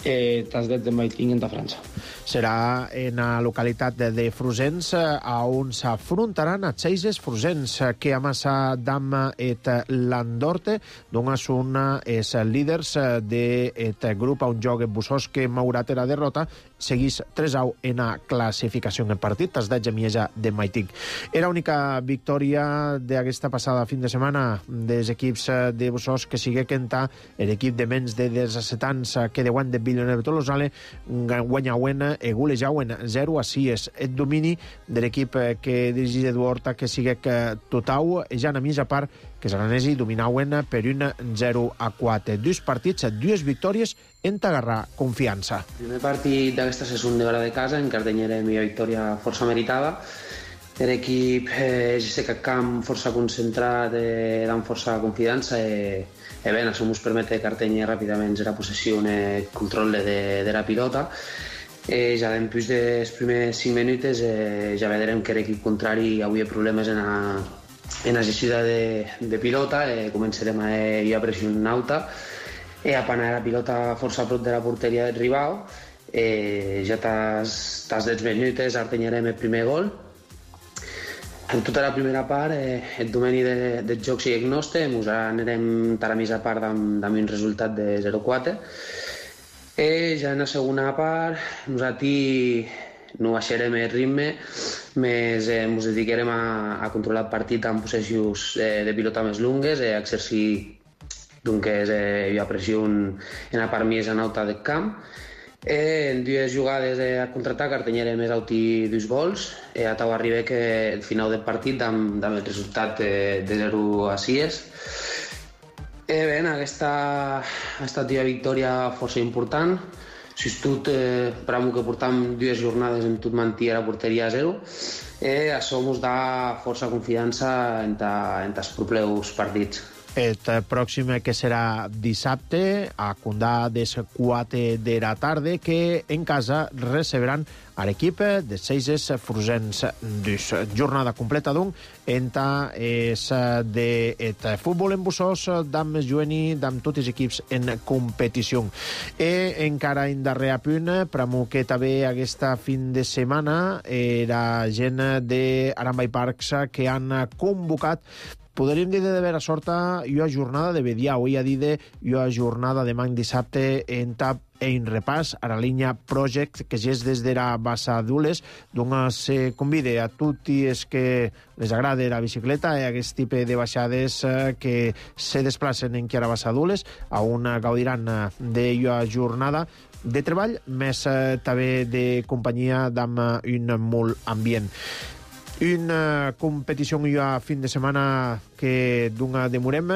S11: eh, tasdet de Maiting en França.
S1: Serà en la localitat de Frusens, on s'afrontaran a Seises Frusens, que a massa dam et l'Andorte, doncs són els líders d'aquest grup a un joc en Bussós que maurat la derrota, seguís tres a u en la classificació en el partit, tas de Gemieja de Maitic. Era l'única victòria d'aquesta passada fin de setmana dels equips de Bussós que sigue quentar l'equip de menys de disset anys que de guany de Villeneuve Tolosale guanyauen e golejauen zero a sis. El domini de l'equip que dirigeix Eduard Horta que sigue totau, ja a mitja part que els aranesi dominauen per un zero a quatre. Dos partits, dues victòries en t'agarrar confiança.
S12: El primer partit d'aquesta segona hora de casa, en Cardenyera, la millor victòria força meritada. L'equip eh, és aquest camp força concentrat, eh, dant força confiança i, e bé, això ens permet Cardenyera ràpidament la possessió i el control de, de la pilota. Eh, ja després dels primers cinc minuts eh, ja veurem que l'equip contrari avui ha problemes en la en la gestió de, de pilota, eh, començarem a ir a pressió alta, eh, a panar la pilota força a prop de la porteria del rival, eh, ja tas deu minuts artenyarem el primer gol. En tota la primera part, eh, el domini de, del joc sigue nostre, ens anirem a la mitja part amb, amb un resultat de zero a quatre. Eh, ja en la segona part, nosaltres no baixarem el ritme, més eh, ens dedicarem a, a controlar el partit amb possessions eh, de pilota més lungues, eh, a exercir doncs, eh, hi ha pressió en, en la part més alta del camp. Eh, en dues jugades eh, a contraatac artenyarem més alti dos gols, eh, a tau arriba que el final del partit amb, amb el resultat eh, de zero a sis. Eh, bé, aquesta ha estat una victòria força important. Tot, eh, per a que portam dues jornades en tot mentir a la porteria a zero, eh, això ens dà força confiança en, ta, en els propers partits.
S1: El pròxim que serà dissabte a Condà des quatre de la tarda, que en casa receberan a l'equip de Seises Frusens dos. Jornada completa, doncs, enta és de futbol en Bussós, d'am jueni, d'am tots els equips en competició. I encara en darrer punt, per a que també aquesta fin de setmana, era gent d'Arambay Parks que han convocat, podríem dir de vera sorta, i una jornada de Bedià, avui a dir de i una jornada de manc dissabte en tap en repàs a la línia Project, que ja és des de la Bassa d'Ules, doncs se convida a tots els que les agrada la bicicleta i aquest tipus de baixades que se desplacen en qui a la Bassa d'Ules, on gaudiran d'una jornada de treball, més també de companyia d'am un molt ambient. Una competició i un fin de setmana que d'una demorem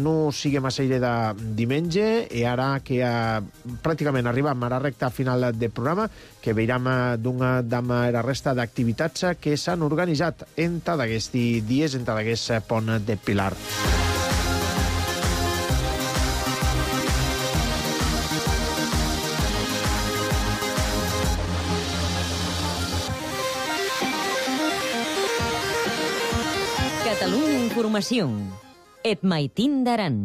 S1: no sigui massa aire de diumenge, i ara que eh, pràcticament arribam a la recta final del programa, que veurem d'una de la resta d'activitats que s'han organitzat entre d'aquests dies, entre d'aquest pont de Pilar.
S2: Catalunya Informació. Et Maitín d'Aran.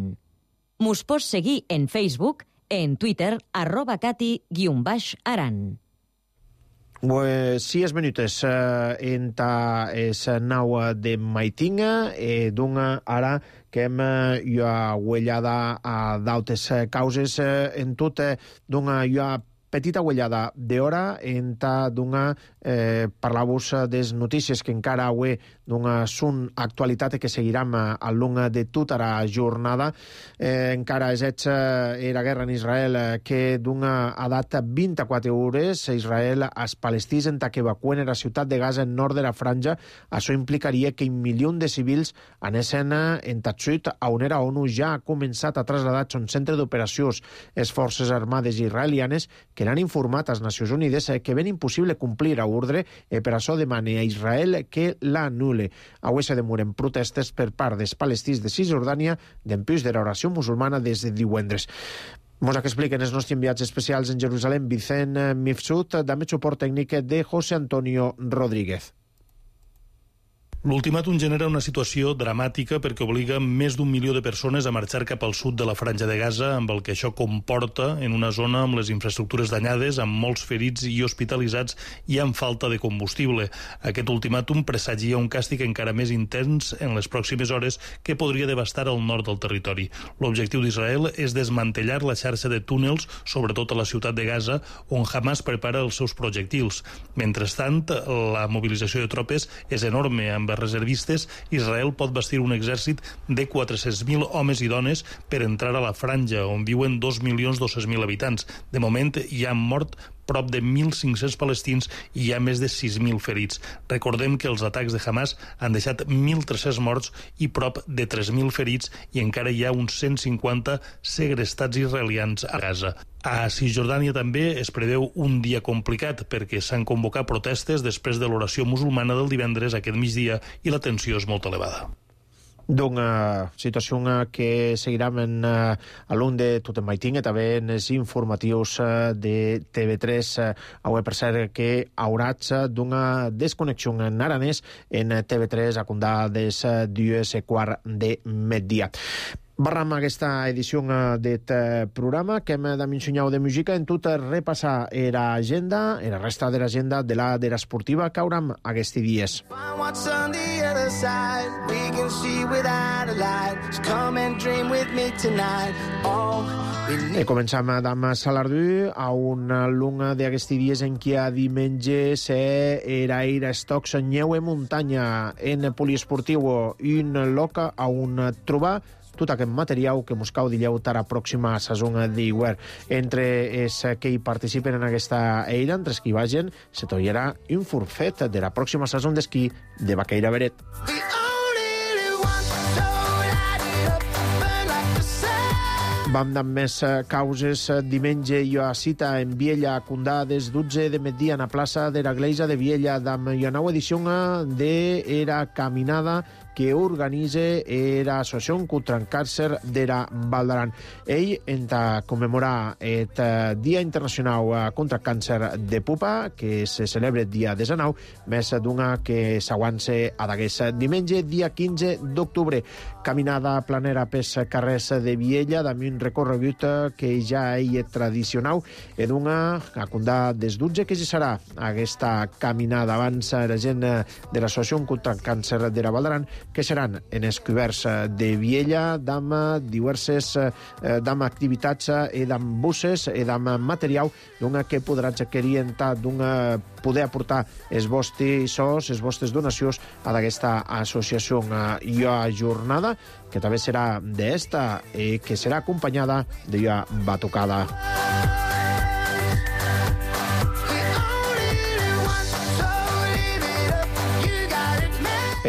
S2: Mos pots seguir en Facebook En Twitter, arroba cati guion baix aran.
S1: Pues, sis minutos uh, enta es nau de Maitinga, e dunga ara que hem uh, huellada a dautes causes uh, en tot uh, dunga uh, petita huellada d'hora enta dunga eh, parlar-vos des notícies que encara avui dunga són actualitat que seguirem al long de tota la jornada. Eh, encara és era guerra en Israel que dunga a data vint-i-quatre hores Israel als palestins enta que evacuen la ciutat de Gaza en nord de la franja. Això implicaria que un milió de civils anessen en Tatsut, a on era ONU ja ha començat a traslladar un centre d'operacions les forces armades israelianes que l'han informat als Nacions Unides que ven impossible complir a ordre i per això demana a Israel que l'anul·le. Avui se demoren protestes per part dels palestins de Cisjordània d'empús de l'oració musulmana des de divendres. Mos que expliquen els nostres enviats especials en Jerusalem, Vicent Mifsud, també suport tècnic de José Antonio Rodríguez.
S13: L'ultimàtum genera una situació dramàtica perquè obliga més d'un milió de persones a marxar cap al sud de la franja de Gaza, amb el que això comporta en una zona amb les infraestructures danyades, amb molts ferits i hospitalitzats i amb falta de combustible. Aquest ultimàtum presagia un càstig encara més intens en les pròximes hores que podria devastar el nord del territori. L'objectiu d'Israel és desmantellar la xarxa de túnels, sobretot a la ciutat de Gaza, on Hamas prepara els seus projectils. Mentrestant, la mobilització de tropes és enorme, amb reservistes. Israel pot bastir un exèrcit de quatre-cents mil homes i dones per entrar a la franja, on viuen dos milions dos-cents mil habitants. De moment hi han mort prop de mil cinc-cents palestins i hi ha més de sis mil ferits. Recordem que els atacs de Hamas han deixat mil tres-cents morts i prop de tres mil ferits i encara hi ha uns cent cinquanta segrestats israelians a Gaza. A Cisjordània també es preveu un dia complicat perquè s'han convocat protestes després de l'oració musulmana del divendres aquest migdia i la tensió és molt elevada.
S1: Una situació que seguirem en uh, a l'un de tot en Maitinga, també en els informatius uh, de T V tres. Uh, avui, per cert, que haurà d'una desconnexió en aranès en T V tres a comptar des dues quart de migdia. Barram aquesta edició d'aquest programa que hem de mencionar de música en tot repassar l'agenda, la resta de l'agenda de la de l'esportiva que haurem aquests dies. I comencem amb Salardú a una lunga d'aquests dies en què a diumenge s'era ir a estocs neu en muntanya en poliesportiu un loca a un trobar tot aquest material que mos cau dillau a la pròxima saison d'hivern. Entre els que hi participen en aquesta eira, entre els que hi vagin, se tollarà un forfet de la pròxima saison d'esquí de Baqueira Beret. Vam amb més causes. Diumenge hi ha cita en Viella a Condà des dotze de migdia a la plaça de la Gleisa de Viella amb una nova edició de la caminada que organitza l'Associació contra el Càncer de la Val d'Aran. Ell, en commemorar el Dia Internacional contra el Càncer de Pupa, que se celebra el dia desenau, més d'una que s'aguança a d'aquest diumenge, dia quinze d'octubre. Caminada planera pels carrers de Viella, amb un recorregut que ja és tradicional, i d'una a comptar des dotze que ja serà aquesta caminada. Abans la gent de l'Associació contra el Càncer de la Val d'Aran que seran en els coberts de Viella d'amb diverses d'amb activitats i d'amb busses i d'amb material d'una que podran adquirir d'una poder aportar els vostres sos, les vostres donacions a d'aquesta associació. Hi ha jornada que també serà d'esta i que serà acompanyada de una batucada.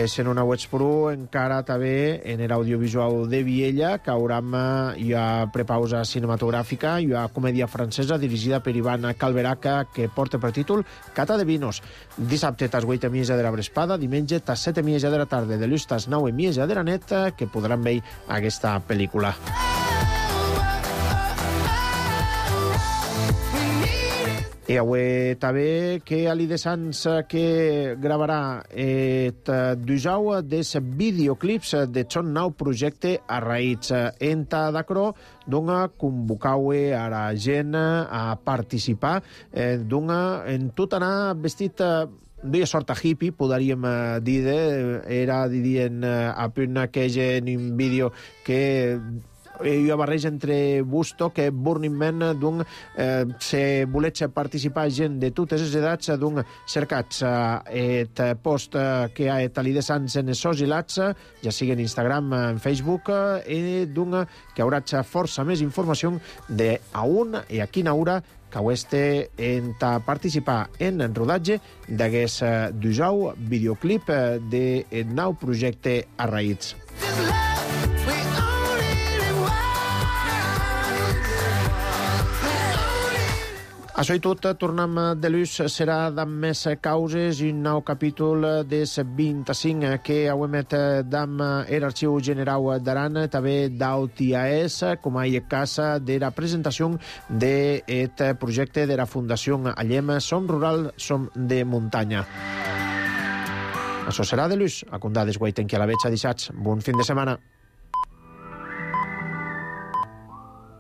S1: És en una web pro encara també en l'audiovisual de Viella que haurem ja prepausa cinematogràfica i una comèdia francesa dirigida per Ivan Calveraca que porta per títol Cata de Vinos. Dissabte tas vuit i mitja de la vesprada, diumenge tas set i mitja de la tarda, de l'ús tas nou i mitja de la nit que podran veure aquesta pel·lícula. I avui també que Ali de Sants que gravarà et dujau des videoclips de son nou projecte a raïts enta d'acro donga convocaue a la gent a participar eh, donga en tot anar vestit de sorta hippie, podríem dir, era, dirien, a punt que en un vídeo que hi ha barreja entre Busto que Burning Man, doncs, eh, se volets participar gent de totes les edats, doncs, cercats eh, et post que ha et Ali de Sants en esos hilats, ja sigui en Instagram, en Facebook, i doncs, que hauràs força més informació de a on i a quina hora que este en participar en el rodatge d'aquest dujau videoclip de nou projecte a raïts. Això i tot, tornem de l'ús, serà d'amb més causes i un nou capítol des vint-i-cinc que auemet d'amb l'arxiu generau d'Aran, també d'Autiaès, com a cas de la presentació d'aquest projecte de la Fundació Allem Som Rural, Som de Muntanya. Això serà de l'ús, a condades guaiten que a la veig a dissats. Bon fin de setmana.